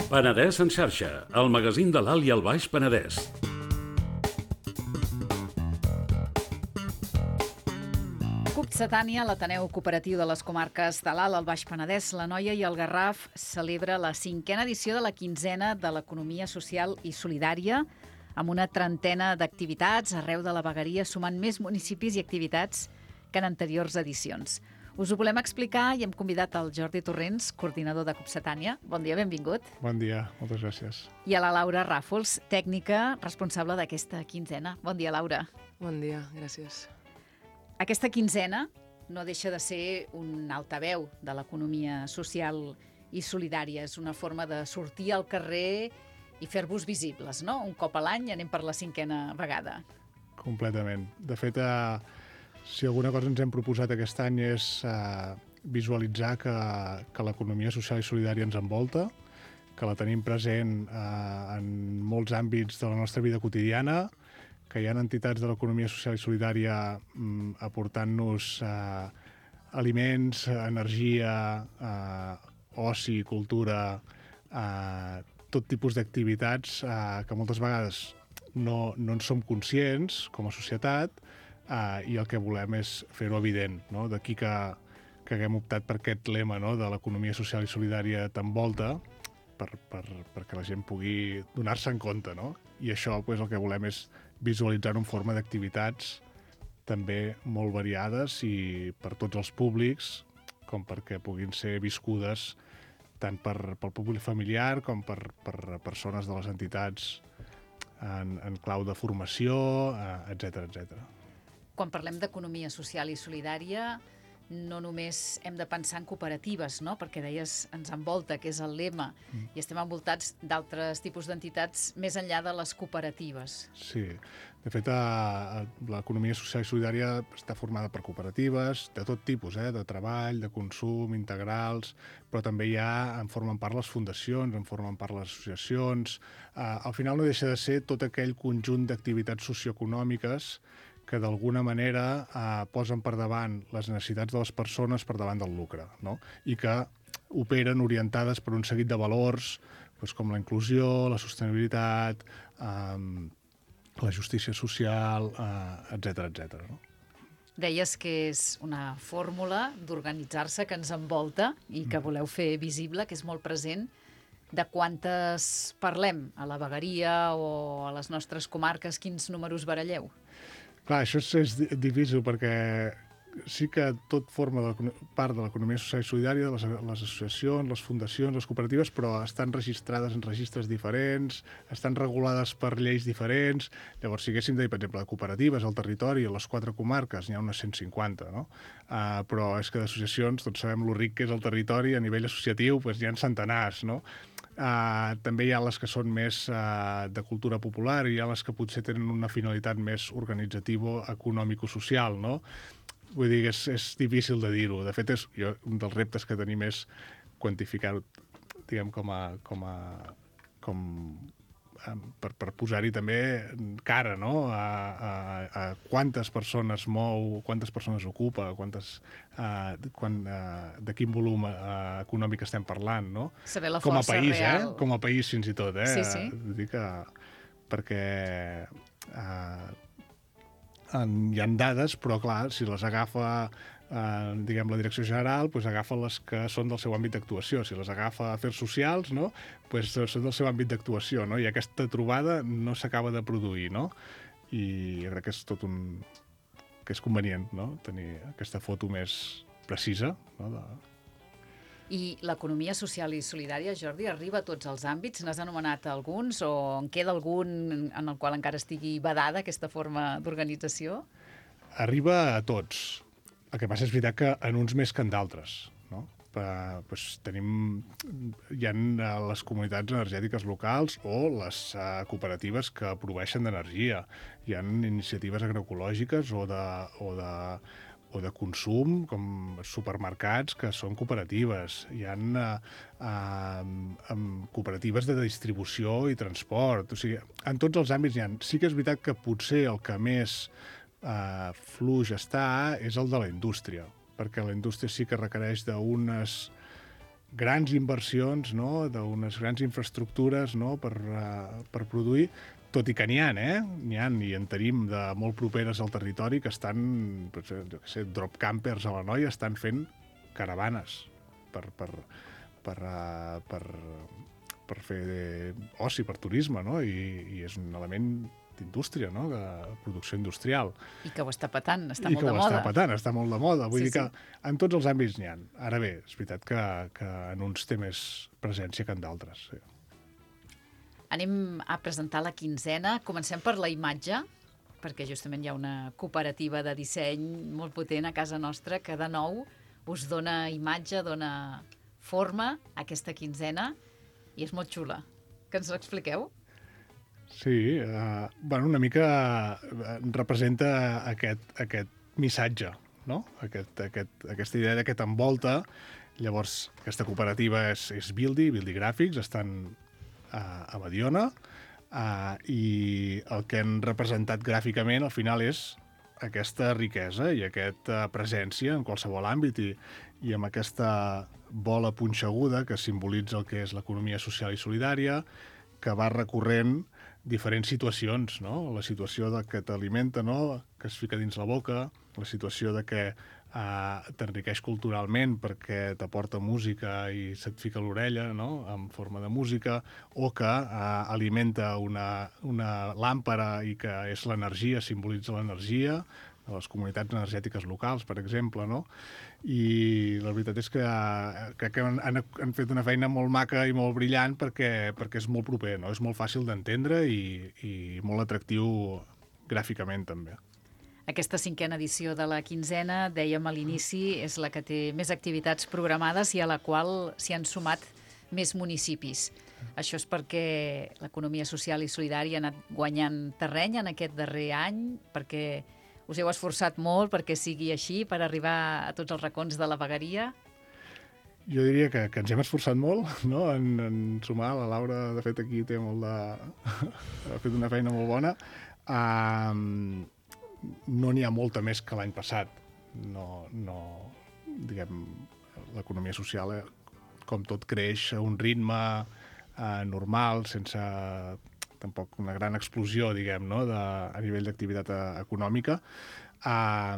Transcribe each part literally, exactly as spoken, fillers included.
Penedès en xarxa, el magazín de l'Alt i el Baix Penedès. CUPCetània, l'Ateneu Cooperatiu de les Comarques de l'Alt, el Baix Penedès, l'Anoia i el Garraf celebra la cinquena edició de la quinzena de l'economia social i solidària amb una trentena d'activitats arreu de la vegueria, sumant més municipis i activitats que en anteriors edicions. Us ho volem explicar i hem convidat el Jordi Torrents, coordinador de CUPCetània. Bon dia, benvingut. Bon dia, moltes gràcies. I a la Laura Ràfols, tècnica responsable d'aquesta quinzena. Bon dia, Laura. Bon dia, gràcies. Aquesta quinzena no deixa de ser un altaveu de l'economia social i solidària. És una forma de sortir al carrer i fer-vos visibles, no? Un cop a l'any anem per la cinquena vegada. Completament. De fet, eh, si alguna cosa ens hem proposat aquest any és eh, visualitzar que, que l'economia social i solidària ens envolta, que la tenim present eh, en molts àmbits de la nostra vida quotidiana, que hi ha entitats de l'economia social i solidària mm, aportant-nos eh, aliments, energia, eh, oci, cultura, eh, tot tipus d'activitats eh, que moltes vegades no, no en som conscients com a societat, eh, i el que volem és fer-ho evident, no? D'aquí que, que haguem optat per aquest lema, no? De l'economia social i solidària t'envolta, per, per, perquè la gent pugui donar-se en compte, no? I això pues, el que volem és visualitzar-ho en forma d'activitats també molt variades i per tots els públics, com perquè puguin ser viscudes tant per, pel públic familiar com per, per persones de les entitats en, en clau de formació, etcètera, etcètera. Quan parlem d'economia social i solidària, no només hem de pensar en cooperatives, no? Perquè deies, ens envolta, que és el lema, mm. i estem envoltats d'altres tipus d'entitats més enllà de les cooperatives. Sí, de fet, l'economia social i solidària està formada per cooperatives de tot tipus, eh? De treball, de consum, integrals, però també hi ha, en formen part les fundacions, en formen part les associacions. Uh, al final no deixa de ser tot aquell conjunt d'activitats socioeconòmiques que d'alguna manera eh, posen per davant les necessitats de les persones per davant del lucre, no? I que operen orientades per un seguit de valors doncs, com la inclusió, la sostenibilitat, eh, la justícia social, eh, etcètera, etcètera, no? Deies que és una fórmula d'organitzar-se que ens envolta i que voleu fer visible, que és molt present. De quantes parlem a la vegueria o a les nostres comarques? Quins números baralleu? Clar, això és, és difícil perquè sí que tot forma de, part de l'economia social i solidària, les, les associacions, les fundacions, les cooperatives, però estan registrades en registres diferents, estan regulades per lleis diferents. Llavors, si haguéssim de dir, per exemple, de cooperatives al territori, a les quatre comarques, n'hi ha unes cent cinquanta, no? Uh, però és que d'associacions, tots sabem lo ric que és el territori, a nivell associatiu doncs, hi ha centenars, no? Uh, també hi ha les que són més uh, de cultura popular i hi ha les que potser tenen una finalitat més organitzativa, econòmico-social, no? Vull dir que és, és difícil de dir-ho. De fet, és, jo, un dels reptes que tenim és quantificar-ho, diguem, com a... Com a com, per, per posar-hi també cara, no? A, a, a quantes persones mou, quantes persones ocupa, quantes, uh, quan, uh, de quin volum uh, econòmic estem parlant, no? Saber la com a força país, real. Eh? Com a país fins i tot, eh? Sí, sí. Vull dir que, perquè uh, en, hi ha dades, però clar, si les agafa eh, diguem, la direcció general, doncs agafa les que són del seu àmbit d'actuació. Si les agafa afers socials, no? Doncs són del seu àmbit d'actuació, no? I aquesta trobada no s'acaba de produir, no? I jo crec que és tot un... que és convenient, no? Tenir aquesta foto més precisa, no? De... I l'economia social i solidària, Jordi, arriba a tots els àmbits? N'has anomenat alguns o en queda algun en el qual encara estigui vedada aquesta forma d'organització? Arriba a tots. El que passa és veritat que en uns més que en d'altres, no? Eh, doncs tenim, hi ha les comunitats energètiques locals o les eh, cooperatives que proveeixen d'energia. Hi ha iniciatives agroecològiques o de, o de o de consum, com supermercats que són cooperatives. Hi ha eh, eh, cooperatives de distribució i transport. O sigui, en tots els àmbits hi ha. Sí que és veritat que potser el que més eh, fluix està és el de la indústria, perquè la indústria sí que requereix d'unes grans inversions, no? D'unes grans infraestructures, no? per, uh, per produir, tot i que n'hi ha, eh? N'hi ha, i en tenim de molt properes al territori que estan, pues, jo què sé, drop campers a l'Anoia, estan fent caravanes per, per, per, uh, per, per fer oci, per turisme, no? I, i és un element d'indústria, no? De producció industrial. I que ho està patant, està I molt de moda. I que ho està patant, està molt de moda. Vull Sí, dir que sí. en tots els àmbits n'hi ha. Ara bé, és veritat que, que en uns té més presència que en d'altres. Sí. Anem a presentar la quinzena. Comencem per la imatge, perquè justament hi ha una cooperativa de disseny molt potent a casa nostra que de nou us dona imatge, dona forma a aquesta quinzena i és molt xula. Que ens l'expliqueu? Sí, uh, bueno, una mica uh, representa aquest, aquest missatge, no? Aquest, aquest, aquesta idea que t'envolta. Llavors, aquesta cooperativa és, és Bildi, Bildi Gràfics, estan uh, a Mediona, uh, i el que han representat gràficament al final és aquesta riquesa i aquesta presència en qualsevol àmbit i, i amb aquesta bola punxeguda que simbolitza el que és l'economia social i solidària, que va recorrent diferents situacions, no? La situació de que t'alimenta, no? Que es fica dins la boca, la situació de que eh, t'enriqueix culturalment perquè t'aporta música i se't fica a l'orella, no? En forma de música, o que eh, alimenta una, una làmpara i que és l'energia, simbolitza l'energia, de les comunitats energètiques locals, per exemple, no? I la veritat és que crec que han, han fet una feina molt maca i molt brillant perquè, perquè és molt proper, no? És molt fàcil d'entendre i, i molt atractiu gràficament, també. Aquesta cinquena edició de la quinzena, dèiem a l'inici, és la que té més activitats programades i a la qual s'hi han sumat més municipis. Això és perquè l'economia social i solidària ha anat guanyant terreny en aquest darrer any, perquè us heu esforçat molt perquè sigui així, per arribar a tots els racons de la vegueria? Jo diria que, que ens hem esforçat molt, no? en, en sumar. La Laura, de fet, aquí té molt de... ha fet una feina molt bona. Uh, no n'hi ha molta més que l'any passat. No, no, diguem, l'economia social, eh, com tot, creix a un ritme uh, normal, sense tampoc una gran explosió, diguem, no? de, a nivell d'activitat econòmica. Uh,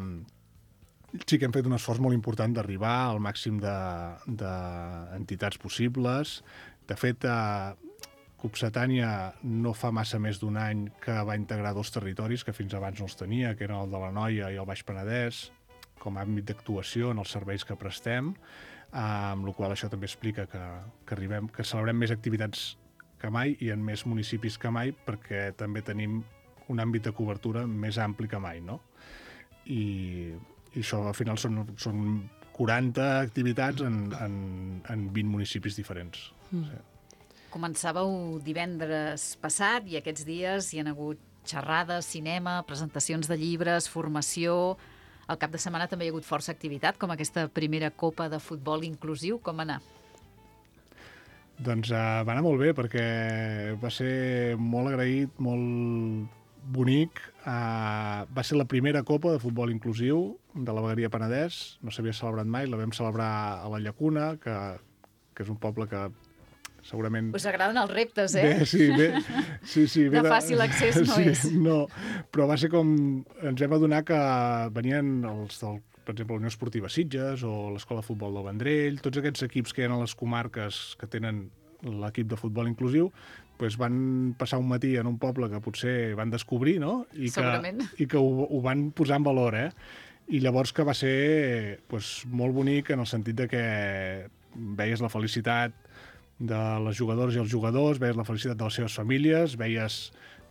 sí que hem fet un esforç molt important d'arribar al màxim d'entitats de, possibles. De fet, uh, Copsetània no fa massa més d'un any que va integrar dos territoris que fins abans no els tenia, que eren el de l'Anoia i el Baix Penedès, com a àmbit d'actuació en els serveis que prestem, uh, amb la qual això també explica que, que, arribem, que celebrem més activitats que mai i en més municipis que mai, perquè també tenim un àmbit de cobertura més ampli que mai, no? I, i això al final són, són quaranta activitats en, en, en vint municipis diferents. Mm. Sí. Començàveu divendres passat i aquests dies hi han hagut xerrades, cinema, presentacions de llibres, formació. Al cap de setmana també hi ha hagut força activitat, com aquesta primera copa de futbol inclusiu. Com anar? Doncs uh, va anar molt bé, perquè va ser molt agraït, molt bonic. Uh, va ser la primera copa de futbol inclusiu de la vegueria Penedès. No s'havia celebrat mai, la vam celebrar a la Llacuna, que, que és un poble que segurament... Us agraden els reptes, eh? Bé, sí, bé, sí, sí, bé de fàcil accés no sí, és. No, però va ser com... Ens vam adonar que venien els del, per exemple, la Unió Esportiva Sitges o l'Escola de Futbol del Vendrell, tots aquests equips que hi ha a les comarques que tenen l'equip de futbol inclusiu, doncs van passar un matí en un poble que potser van descobrir, no? I que, i que ho, ho van posar en valor, eh? I llavors que va ser doncs, molt bonic en el sentit de que veies la felicitat de les jugadores i els jugadors, veies la felicitat de les seves famílies, veies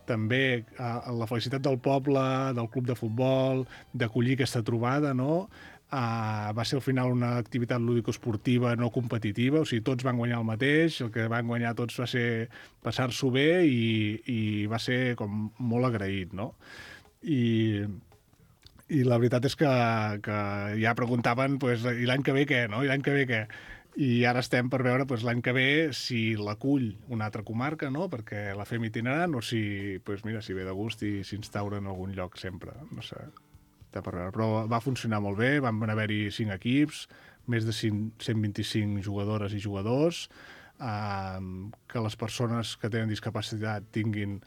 també eh, la felicitat del poble, del club de futbol, d'acollir aquesta trobada, no? Uh, va ser al final una activitat lúdico-esportiva no competitiva, o sigui, tots van guanyar el mateix, el que van guanyar tots va ser passar-s'ho bé i, i va ser com molt agraït, no? I, i la veritat és que, que ja preguntaven, pues, i l'any que ve què, no? I l'any que ve què? I ara estem per veure pues, l'any que ve si l'acull una altra comarca, no? Perquè la fem itinerant, o si, pues, mira, si ve de gust i s'instaura en algun lloc sempre, no sé. Per veure. Però va funcionar molt bé, van haver-hi cinc equips, més de cent vint-i-cinc jugadores i jugadors, eh, que les persones que tenen discapacitat tinguin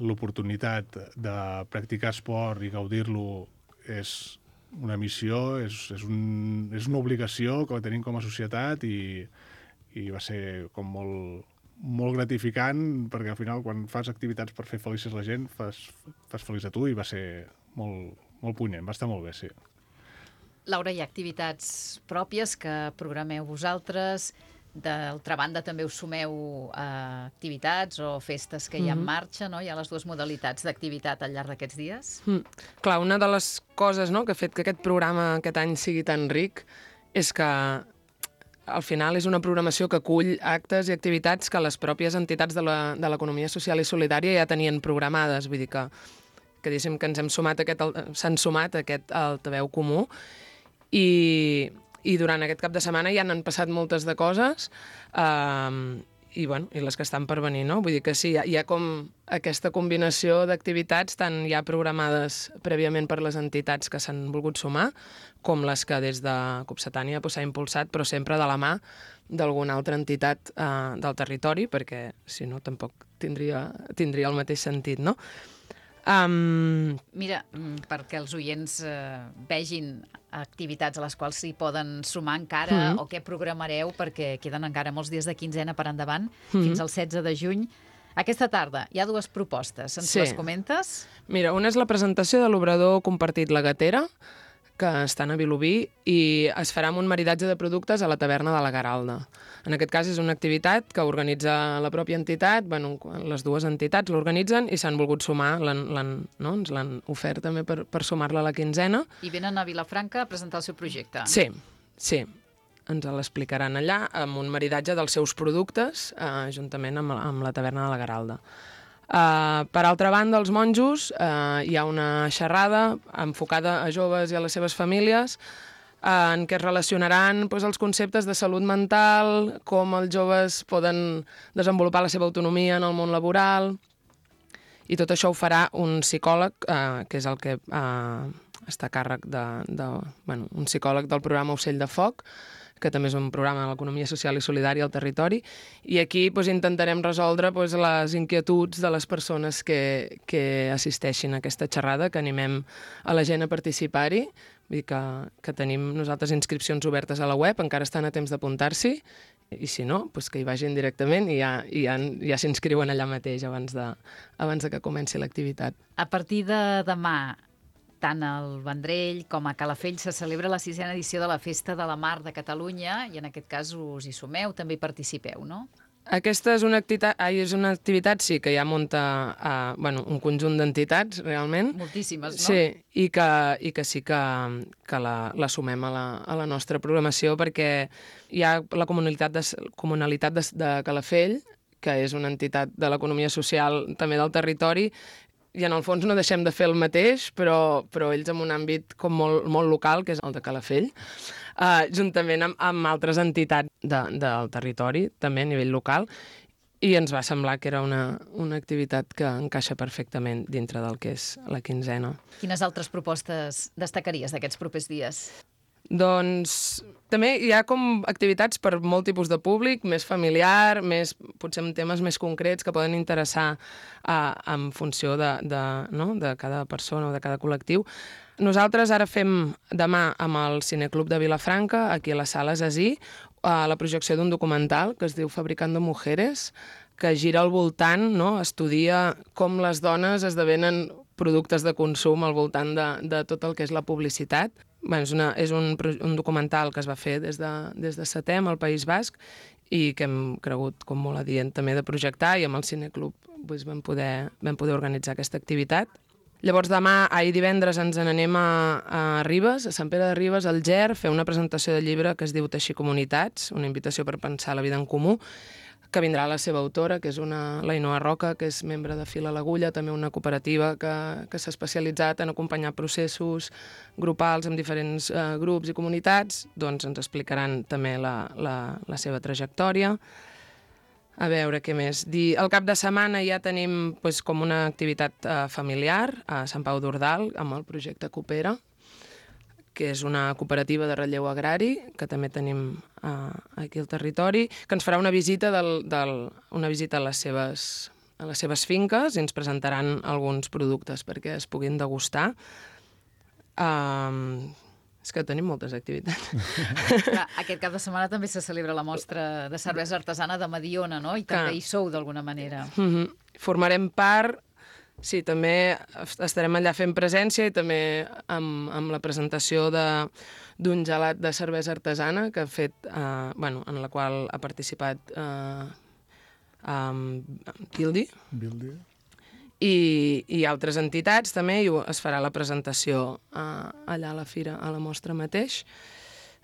l'oportunitat de practicar esport i gaudir-lo és una missió, és, és, un, és una obligació que tenim com a societat i, i va ser com molt, molt gratificant perquè al final quan fas activitats per fer felices la gent fas, fas feliç a tu i va ser molt, molt punyent, va estar molt bé, sí. Laura, hi ha activitats pròpies que programeu vosaltres. D'altra banda, també us sumeu a activitats o festes que hi ha en marxa, no? Hi ha les dues modalitats d'activitat al llarg d'aquests dies. Mm. Clar, una de les coses, no?, que ha fet que aquest programa aquest any sigui tan ric és que al final és una programació que acull actes i activitats que les pròpies entitats de la, de l'economia social i solidària ja tenien programades. Vull dir que, que diguéssim que ens hem sumat a aquest, s'han sumat a aquest altaveu comú i... I durant aquest cap de setmana ja n'han passat moltes de coses eh, i, bueno, i les que estan per venir, no? Vull dir que sí, hi ha, hi ha com aquesta combinació d'activitats tant ja programades prèviament per les entitats que s'han volgut sumar com les que des de Copsetània s'ha impulsat, però sempre de la mà d'alguna altra entitat eh, del territori, perquè si no tampoc tindria, tindria el mateix sentit, no? Um... Mira, perquè els oients eh, vegin activitats a les quals s'hi poden sumar encara mm-hmm. o què programareu, perquè queden encara molts dies de quinzena per endavant, mm-hmm. fins al setze de juny. Aquesta tarda hi ha dues propostes. Ens sí. les comentes? Mira, una és la presentació de l'obrador compartit La Gatera, que estan a Vilobí, i es farà amb un maridatge de productes a la taverna de la Garalda. En aquest cas és una activitat que organitza la pròpia entitat, bueno, les dues entitats l'organitzen i s'han volgut sumar, l'han, l'han, no? ens l'han ofert també per, per sumar-la a la quinzena. I venen a Vilafranca a presentar el seu projecte. Sí, sí. Ens l'explicaran allà amb un maridatge dels seus productes, eh, juntament amb, amb la taverna de la Garalda. Uh, per altra banda, els monjos, uh, hi ha una xerrada enfocada a joves i a les seves famílies uh, en què es relacionaran pues, els conceptes de salut mental, com els joves poden desenvolupar la seva autonomia en el món laboral, i tot això ho farà un psicòleg, uh, que és el que uh, està a càrrec de, de, bueno, un psicòleg del programa Ocell de Foc, que també és un programa de l'economia social i solidària al territori, i aquí doncs, intentarem resoldre doncs, les inquietuds de les persones que, que assisteixin a aquesta xerrada, que animem a la gent a participar-hi. Vull dir que, que tenim nosaltres inscripcions obertes a la web, encara estan a temps d'apuntar-s'hi, i si no, doncs que hi vagin directament i ja, i ja, ja s'inscriuen allà mateix abans de, abans de que comenci l'activitat. A partir de demà, tant al Vendrell com a Calafell se celebra la sisena edició de la Festa de la Mar de Catalunya i en aquest cas us hi sumeu, també hi participeu, no? Aquesta és una activitat, ai, és una activitat sí, que ja munta uh, bueno, un conjunt d'entitats, realment. Moltíssimes, no? Sí, i que, i que sí que, que la, la sumem a la, a la nostra programació perquè hi ha la comunalitat de, comunalitat de, de Calafell, que és una entitat de l'economia social també del territori, i en el fons no deixem de fer el mateix, però, però ells en un àmbit com molt, molt local, que és el de Calafell, uh, juntament amb, amb altres entitats de, del territori, també a nivell local, i ens va semblar que era una, una activitat que encaixa perfectament dintre del que és la quinzena. Quines altres propostes destacaries d'aquests propers dies? Doncs també hi ha com activitats per molt tipus de públic, més familiar, més, potser amb temes més concrets que poden interessar uh, en funció de, de, no? de cada persona o de cada col·lectiu. Nosaltres ara fem demà amb el Cineclub de Vilafranca, aquí a les Sales Así, uh, la projecció d'un documental que es diu Fabricando Mujeres, que gira al voltant, no? Estudia com les dones esdevenen productes de consum al voltant de, de tot el que és la publicitat. Bé, és una, és un, un documental que es va fer des de, des de Setem al País Basc i que hem cregut com molt adient també de projectar i amb el Cineclub doncs, vam, poder, vam poder organitzar aquesta activitat. Llavors demà, ahir divendres, ens n'anem a, a Ribes, a Sant Pere de Ribes, al Ger, fer una presentació de llibre que es diu Teixir Comunitats, una invitació per pensar la vida en comú, que vindrà la seva autora, que és una, la Ainhoa Roca, que és membre de Fil a l'Agulla, també una cooperativa que, que s'ha especialitzat en acompanyar processos grupals amb diferents eh, grups i comunitats, doncs ens explicaran també la, la, la seva trajectòria. A veure, què més? Dir, el cap de setmana ja tenim pues, com una activitat eh, familiar a Sant Pau d'Ordal, amb el projecte Coopera, que és una cooperativa de relleu agrari, que també tenim uh, aquí al territori, que ens farà una visita, del, del, una visita a, les seves, a les seves finques i ens presentaran alguns productes perquè es puguin degustar. Um, és que tenim moltes activitats. Clar, aquest cap de setmana també se celebra la mostra de cervesa artesana de Mediona, no? I també Clar. hi sou d'alguna manera. Mm-hmm. Formarem part... Sí, també estarem allà fent presència i també amb, amb la presentació d'un gelat de cervesa artesana que ha fet, eh, bueno, en la qual ha participat eh, amb Bildi. Bildi. I, i altres entitats també, i es farà la presentació eh, allà a la fira, a la mostra mateix.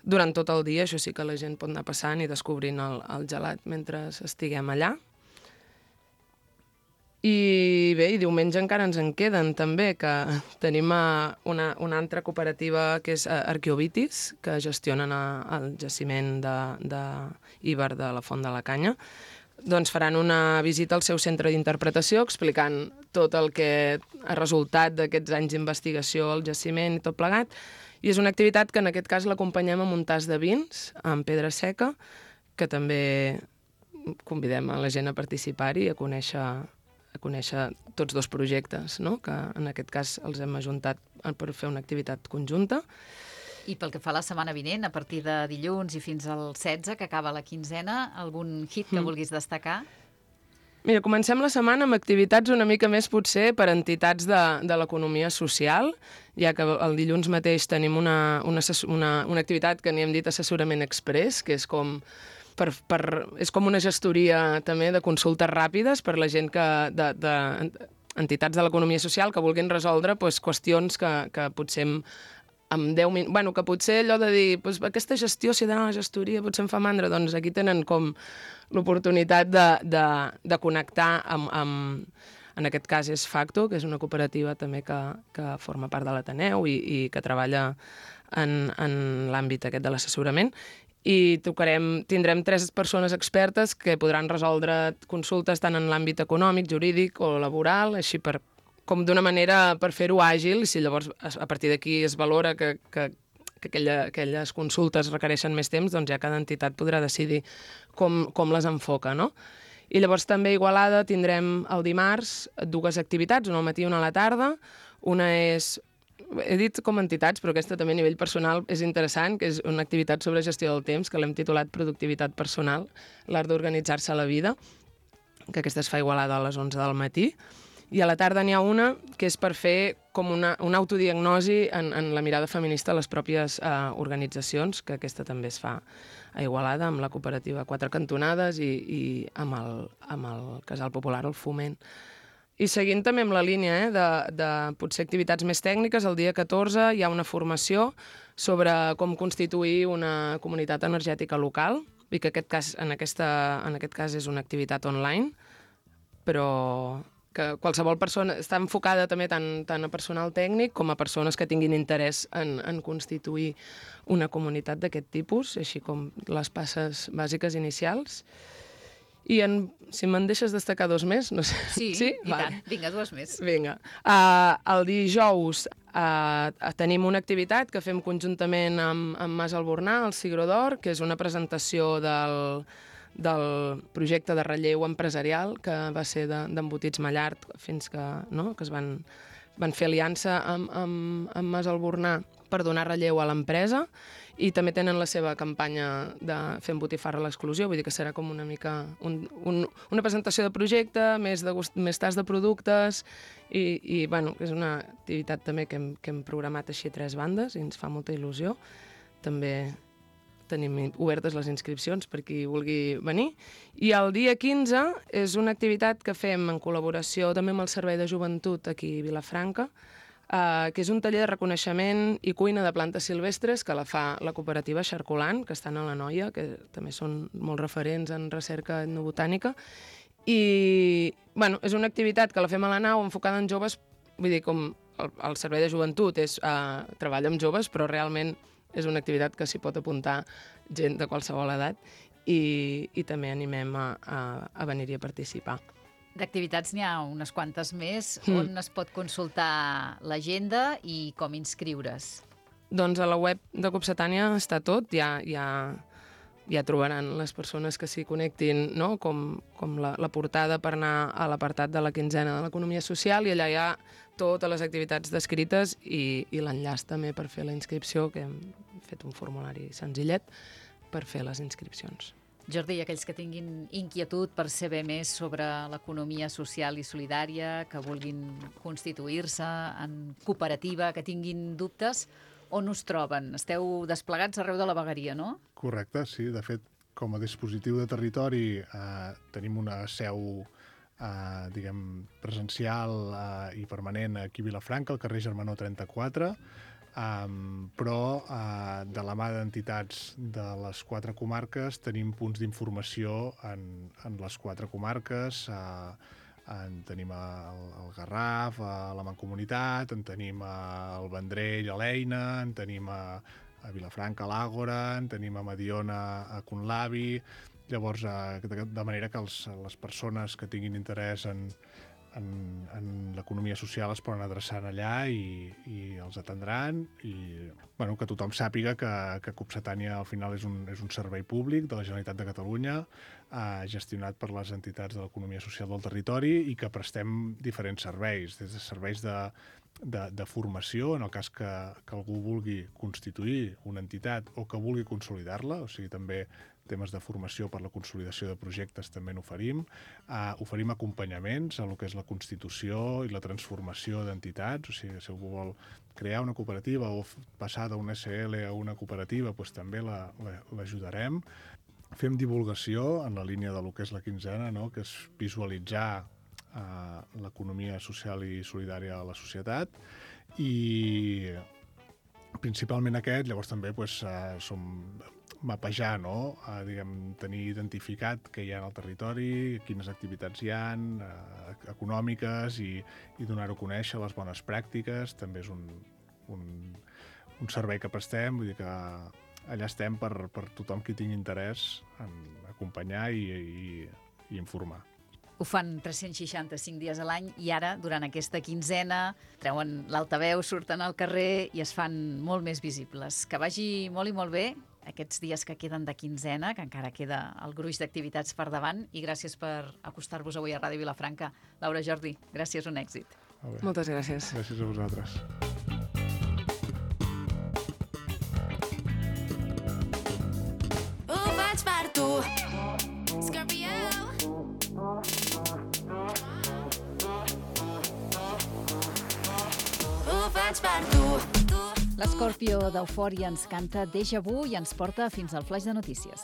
Durant tot el dia, això sí que la gent pot anar passant i descobrint el, el gelat mentre estiguem allà. I bé, i diumenge encara ens en queden també, que tenim una, una altra cooperativa que és Arqueovitis, que gestionen el jaciment d'Íber de, de la Font de la Canya. Doncs faran una visita al seu centre d'interpretació explicant tot el que ha resultat d'aquests anys d'investigació al jaciment i tot plegat. I és una activitat que en aquest cas l'acompanyem amb un tas de vins, amb pedra seca, que també convidem a la gent a participar-hi i a conèixer a conèixer tots dos projectes, no? Que en aquest cas els hem ajuntat per fer una activitat conjunta. I pel que fa a la setmana vinent, a partir de dilluns i fins al setze, que acaba la quinzena, algun hit que mm. vulguis destacar? Mira, comencem la setmana amb activitats una mica més potser per entitats de, de l'economia social, ja que el dilluns mateix tenim una, una, una, una activitat que n'hi hem dit assessorament express, que és com... Per, per, és com una gestoria també de consultes ràpides per la gent que, de, de entitats de l'economia social que vulguin resoldre pues, qüestions que, que potser amb deu minuts... Bueno, que potser allò de dir pues, aquesta gestió, si he d'anar a la gestoria, potser em fa mandra, doncs aquí tenen com l'oportunitat de, de, de connectar amb, amb... En aquest cas és Facto, que és una cooperativa també que, que forma part de l'Ateneu i, i que treballa en, en l'àmbit aquest de l'assessorament. I tocarem, tindrem tres persones expertes que podran resoldre consultes tant en l'àmbit econòmic, jurídic o laboral, així per, com d'una manera per fer-ho àgil, i si llavors a partir d'aquí es valora que, que, que aquella, aquelles consultes requereixen més temps, doncs ja cada entitat podrà decidir com, com les enfoca, no? I llavors també a Igualada tindrem el dimarts dues activitats, una al matí i una a la tarda. Una és... He dit com entitats, però aquesta també a nivell personal és interessant, que és una activitat sobre gestió del temps, que l'hem titulat Productivitat personal, l'art d'organitzar-se a la vida, que aquesta es fa a Igualada a les onze del matí. I a la tarda n'hi ha una que és per fer com una, una autodiagnosi en, en la mirada feminista a les pròpies eh, organitzacions, que aquesta també es fa a Igualada, amb la cooperativa Quatre Cantonades i, i amb, el, amb el Casal Popular, el Foment. I seguint també amb la línia eh, de, de potser activitats més tècniques, el dia catorze hi ha una formació sobre com constituir una comunitat energètica local, i que aquest cas, en, aquesta, en aquest cas és una activitat online, però que qualsevol persona està enfocada també tant, tant a personal tècnic com a persones que tinguin interès en, en constituir una comunitat d'aquest tipus, així com les passes bàsiques inicials. I en, si me'n deixes destacar dos més, no sé. Sí, sí? I vale. Tant. Vinga, dues més. Vinga. Uh, el dijous uh, tenim una activitat que fem conjuntament amb, amb Mas Albornà, el Cigró d'Or, que és una presentació del, del projecte de relleu empresarial que va ser d'Embotits Mallart fins que, no, que es van, van fer aliança amb, amb, amb Mas Albornà per donar relleu a l'empresa. I també tenen la seva campanya de Fem botifarra a l'exclusió, vull dir que serà com una mica un, un, una presentació de projecte, més, de gust, més tas de productes, i, i bueno, és una activitat també que hem, que hem programat així a tres bandes i ens fa molta il·lusió. També tenim obertes les inscripcions per qui vulgui venir. I el dia quinze és una activitat que fem en col·laboració també amb el Servei de Joventut aquí a Vilafranca, Uh, que és un taller de reconeixement i cuina de plantes silvestres que la fa la cooperativa Xarcolant, que estan a la Noia, que també són molt referents en recerca etnobotànica. I bueno, és una activitat que la fem a la nau enfocada en joves, vull dir, com el, el Servei de Joventut és uh, treballa amb joves, però realment és una activitat que s'hi pot apuntar gent de qualsevol edat i, i també animem a, a, a venir-hi a participar. D'activitats n'hi ha unes quantes més. Mm. On es pot consultar l'agenda i com inscriure's? Doncs a la web de Copsetània està tot, ja, ja, ja trobaran les persones que s'hi connectin, no? com, com la, la portada per anar a l'apartat de la quinzena de l'economia social, i allà hi ha totes les activitats descrites i, i l'enllaç també per fer la inscripció, que hem fet un formulari senzillet per fer les inscripcions. Jordi, i aquells que tinguin inquietud per saber més sobre l'economia social i solidària, que vulguin constituir-se en cooperativa, que tinguin dubtes, on us troben? Esteu desplegats arreu de la vegueria, no? Correcte, sí. De fet, com a dispositiu de territori eh, tenim una seu eh, diguem, presencial eh, i permanent aquí a Vilafranca, al carrer Germanó trenta-quatre, Um, però uh, de la mà d'entitats de les quatre comarques tenim punts d'informació en, en les quatre comarques. Uh, en tenim el, el Garraf, a la Mancomunitat, en tenim el Vendrell a l'Eina, en tenim a, a Vilafranca a l'Àgora, en tenim a Mediona a Conlavi. Llavors, uh, de, de manera que els, les persones que tinguin interès en en, en l'economia social es poden adreçar allà i, i els atendran, i bueno, que tothom sàpiga que, que Copsetània al final és un, és un servei públic de la Generalitat de Catalunya, eh, gestionat per les entitats de l'economia social del territori, i que prestem diferents serveis, des de serveis de, de, de formació, en el cas que, que algú vulgui constituir una entitat o que vulgui consolidar-la, o sigui, també temes de formació per la consolidació de projectes també n'oferim. Uh, oferim acompanyaments a el que és la constitució i la transformació d'entitats, o sigui, si algú vol crear una cooperativa o passar d'una S L a una cooperativa, doncs també l'ajudarem. Fem divulgació en la línia de lo que és la quinzena, no? Que és visualitzar uh, l'economia social i solidària a la societat, i principalment aquest. Llavors també doncs, uh, som mapejar, no? Uh, diguem, tenir identificat què hi ha al territori, quines activitats hi ha, uh, econòmiques, i, i donar-ho a conèixer, les bones pràctiques. També és un, un, un servei que prestem, vull dir que allà estem per, per tothom qui tingui interès en acompanyar i, i, i informar. Ho fan tres-cents seixanta-cinc dies a l'any, i ara, durant aquesta quinzena, treuen l'altaveu, surten al carrer i es fan molt més visibles. Que vagi molt i molt bé aquests dies que queden de quinzena, que encara queda el gruix d'activitats per davant, i gràcies per acostar-vos avui a Ràdio Vilafranca. Laura, Jordi, gràcies, un èxit. Moltes gràcies. Gràcies a vosaltres. Ho faig per tu, Scorpio. Ho faig per tu. L'Escorpio d'Eufòria ens canta Déjà Vu i ens porta fins al flaix de notícies.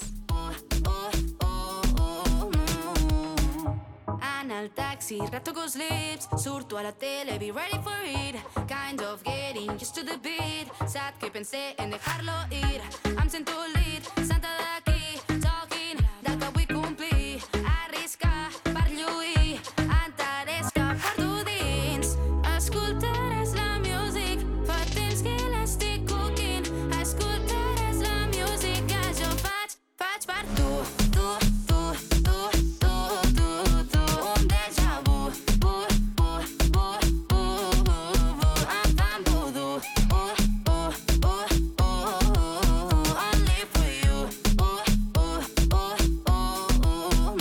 En el taxi, retoco els lips, surto a la tele, be ready for it. Kind of getting used to the beat. Sad que pensé en dejarlo ir. Em sento lit, santa d'aquí, talking del que vull complir. Arriscar per lluir, enteres que porto dins. Escoltaràs la music, fa temps que l'estic coquint. Escoltaràs la música que jo faig, faig per tu, tu, tu, tu, tu, tu, tu. Un déjà vu, vu, vu, vu, vu, vu, vu. Em fan voodoo, uh, uh, uh, uh, uh. Only for you, uh, uh, uh, uh, uh.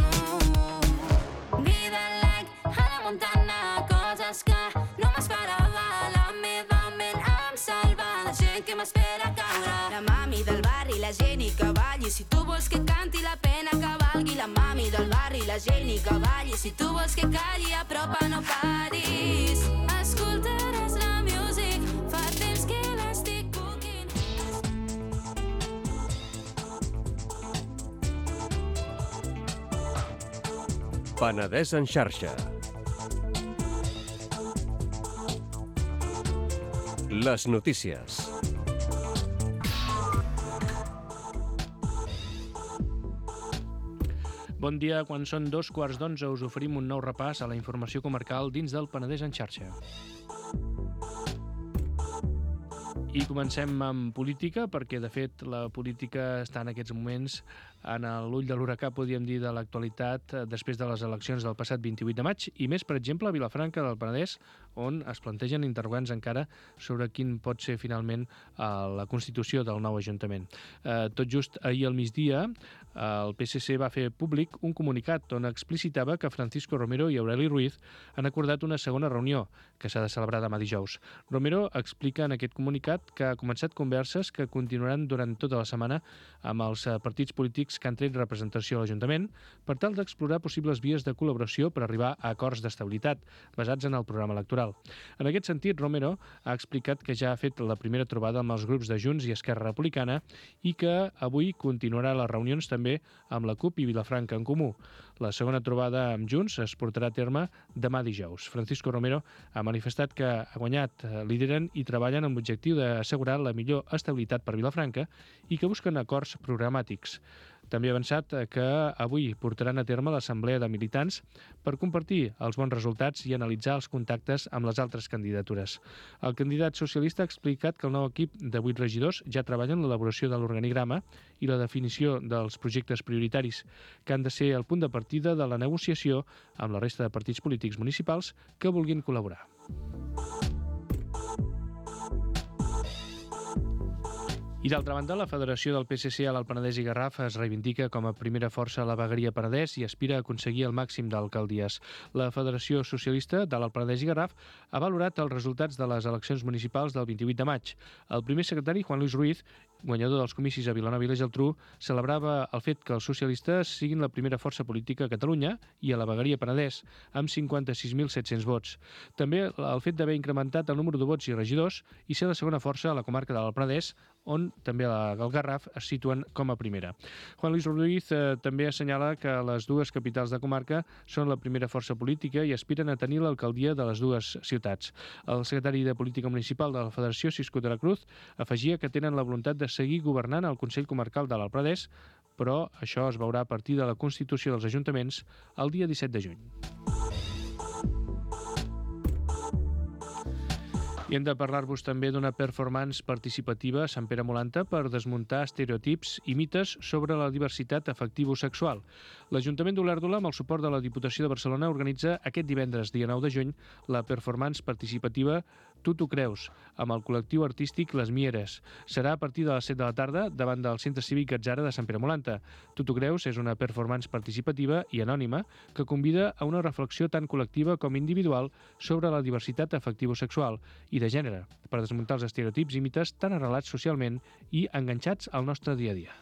Vida like Hannah Montana, coses que no m'esperava. La meva ment em salva, la gent que m'espera caure. La mami del barri, la gent i que balli. Si tu vols que canti, la pena que valgui. La mami del barri, la gent i que balli. Si tu vols que calli, apropa, no paris. Escoltaràs la music, fa temps que l'estic coquint. Penedès en xarxa. Les notícies. Bon dia, quan són dos quarts d'onze us oferim un nou repàs a la informació comarcal dins del Penedès en xarxa. I comencem amb política, perquè de fet la política està en aquests moments en l'ull de l'huracà, podríem dir, de l'actualitat després de les eleccions del passat vint-i-vuit de maig, i més, per exemple, a Vilafranca del Penedès, on es plantegen interrogants encara sobre quin pot ser finalment la constitució del nou Ajuntament. Tot just ahir al migdia, el P S C va fer públic un comunicat on explicitava que Francisco Romero i Aureli Ruiz han acordat una segona reunió que s'ha de celebrar demà dijous. Romero explica en aquest comunicat que ha començat converses que continuaran durant tota la setmana amb els partits polítics que han tret representació a l'Ajuntament per tal d'explorar possibles vies de col·laboració per arribar a acords d'estabilitat basats en el programa electoral. En aquest sentit, Romero ha explicat que ja ha fet la primera trobada amb els grups de Junts i Esquerra Republicana i que avui continuarà les reunions també amb la CUP i Vilafranca en Comú. La segona trobada amb Junts es portarà a terme demà dijous. Francisco Romero ha manifestat que ha guanyat, lideren i treballen amb l'objectiu d'assegurar la millor estabilitat per Vilafranca i que busquen acords programàtics. També ha avançat que avui portaran a terme l'assemblea de militants per compartir els bons resultats i analitzar els contactes amb les altres candidatures. El candidat socialista ha explicat que el nou equip de vuit regidors ja treballa en l'elaboració de l'organigrama i la definició dels projectes prioritaris, que han de ser el punt de partida de la negociació amb la resta de partits polítics municipals que vulguin col·laborar. I d'altra banda, la Federació del P S C a l'Alt Penedès i Garraf es reivindica com a primera força a la vegueria Penedès i aspira a aconseguir el màxim d'alcaldies. La Federació Socialista de l'Alt Penedès i Garraf ha valorat els resultats de les eleccions municipals del vint-i-vuit de maig. El primer secretari, Juan Luis Ruiz, guanyador dels comicis a Vilanova i la Geltrú, celebrava el fet que els socialistes siguin la primera força política a Catalunya i a la vegueria Penedès, amb cinquanta-sis mil set-cents vots. També el fet d'haver incrementat el número de vots i regidors i ser la segona força a la comarca de l'Alt Penedès, on també el Garraf es situen com a primera. Juan Luis Ruiz eh, també assenyala que les dues capitals de comarca són la primera força política i aspiren a tenir l'alcaldia de les dues ciutats. El secretari de Política Municipal de la Federació, Cisco de la Cruz, afegia que tenen la voluntat de seguir governant el Consell Comarcal de l'Alt Penedès, però això es veurà a partir de la constitució dels ajuntaments el dia disset de juny. I hem de parlar-vos també d'una performance participativa a Sant Pere Molanta per desmuntar estereotips i mites sobre la diversitat afectivo-sexual. L'Ajuntament d'Olèrdola, amb el suport de la Diputació de Barcelona, organitza aquest divendres, dia nou de juny, la performance participativa Tu t'ho creus, amb el col·lectiu artístic Les Mieres. Serà a partir de les set de la tarda davant del Centre Cívic Atzara de Sant Pere Molanta. Tu t'ho creus és una performance participativa i anònima que convida a una reflexió tant col·lectiva com individual sobre la diversitat afectivo-sexual i de gènere, per desmuntar els estereotips i mites tan arrelats socialment i enganxats al nostre dia a dia.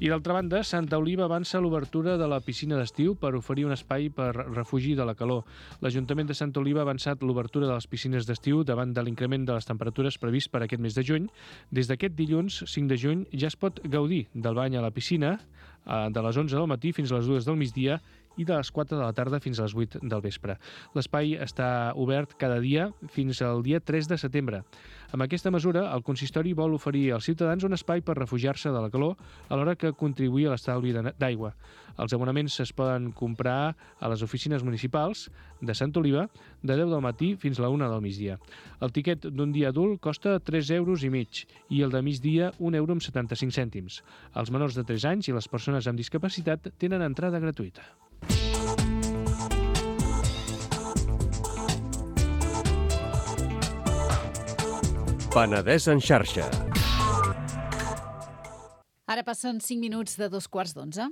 I d'altra banda, Santa Oliva avança l'obertura de la piscina d'estiu per oferir un espai per refugi de la calor. L'Ajuntament de Santa Oliva ha avançat l'obertura de les piscines d'estiu davant de l'increment de les temperatures previst per aquest mes de juny. Des d'aquest dilluns, cinc de juny, ja es pot gaudir del bany a la piscina de les onze del matí fins a les dues del migdia i de les quatre de la tarda fins a les vuit del vespre. L'espai està obert cada dia fins al dia tres de setembre. Amb aquesta mesura, el consistori vol oferir als ciutadans un espai per refugiar-se de la calor alhora que contribuir a l'estalvi d'aigua. Els abonaments es poden comprar a les oficines municipals de Sant Oliva de deu del matí fins a la una del migdia. El tiquet d'un dia adult costa tres euros i mig i el de migdia un euro amb setanta-cinc cèntims. Els menors de tres anys i les persones amb discapacitat tenen entrada gratuïta. Penedès en xarxa. Ara passen cinc minuts de dos quarts d'onze.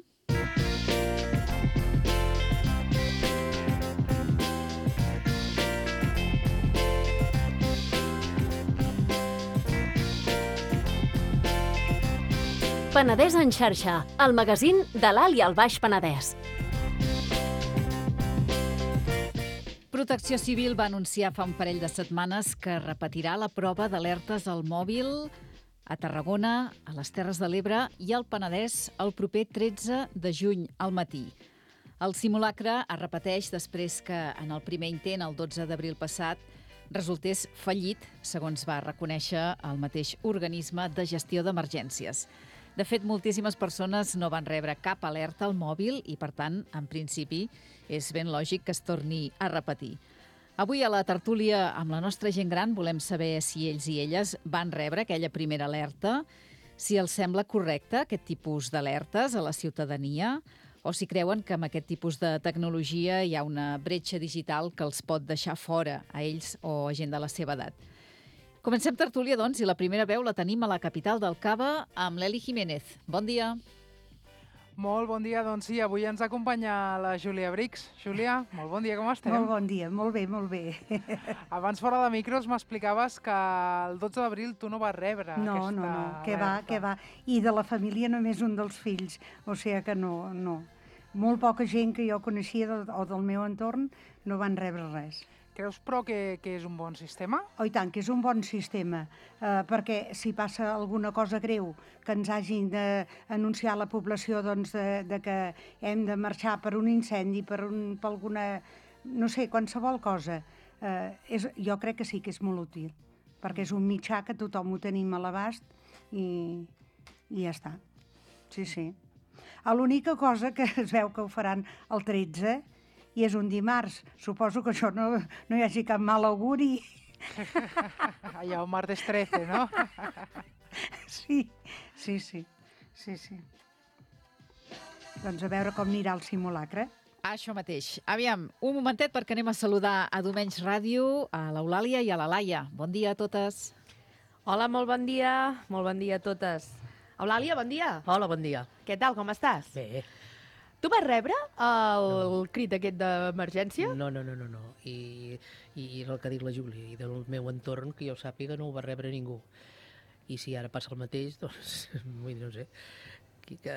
Penedès en xarxa, el magazín de l'Alt i el Baix Penedès. Protecció Civil va anunciar fa un parell de setmanes que repetirà la prova d'alertes al mòbil a Tarragona, a les Terres de l'Ebre i al Penedès el proper tretze de juny al matí. El simulacre es repeteix després que en el primer intent, el dotze d'abril passat, resultés fallit, segons va reconèixer el mateix organisme de gestió d'emergències. De fet, moltíssimes persones no van rebre cap alerta al mòbil i, per tant, en principi, és ben lògic que es torni a repetir. Avui a la tertúlia amb la nostra gent gran volem saber si ells i elles van rebre aquella primera alerta, si els sembla correcte aquest tipus d'alertes a la ciutadania o si creuen que amb aquest tipus de tecnologia hi ha una bretxa digital que els pot deixar fora a ells o a gent de la seva edat. Comencem tertúlia, doncs, i la primera veu la tenim a la capital del Cava amb l'Eli Jiménez. Bon dia. Molt bon dia, doncs sí, avui ens acompanya la Júlia Brix. Júlia, molt bon dia, com estem? Molt bon dia, molt bé, molt bé. Abans fora de micros m'explicaves que el dotze d'abril tu no vas rebre no, aquesta No, no, què va, alerta. què va. I de la família només un dels fills, o sigui que no, no. Molt poca gent que jo coneixia del, o del meu entorn no van rebre res. Creus, però, que, que és un bon sistema? Oh, i tant, que és un bon sistema, eh, perquè si passa alguna cosa greu que ens hagin d'anunciar a la població doncs, de, de que hem de marxar per un incendi, per, un, per alguna, no sé, qualsevol cosa, eh, és, jo crec que sí que és molt útil, perquè és un mitjà que tothom ho tenim a l'abast i, i ja està. Sí, sí. L'única cosa que es veu que ho faran el tretze i és un dimarts. Suposo que això no, no hi hagi cap mal auguri. Allà, un martes trece, no? Sí, sí, sí, sí, sí. Doncs a veure com anirà el simulacre. Això mateix. Aviam, un momentet perquè anem a saludar a Domenys Ràdio, a l'Eulàlia i a la Laia. Bon dia a totes. Hola, molt bon dia. Molt bon dia a totes. Eulàlia, bon dia. Hola, bon dia. Què tal, com estàs? Bé. Tu vas rebre el no. crit aquest d'emergència? No, no, no, no, no. I, i el que ha dit la Júlia, i del meu entorn, que jo sàpiga, no ho va rebre ningú. I si ara passa el mateix, doncs, vull dir, no sé, que, que,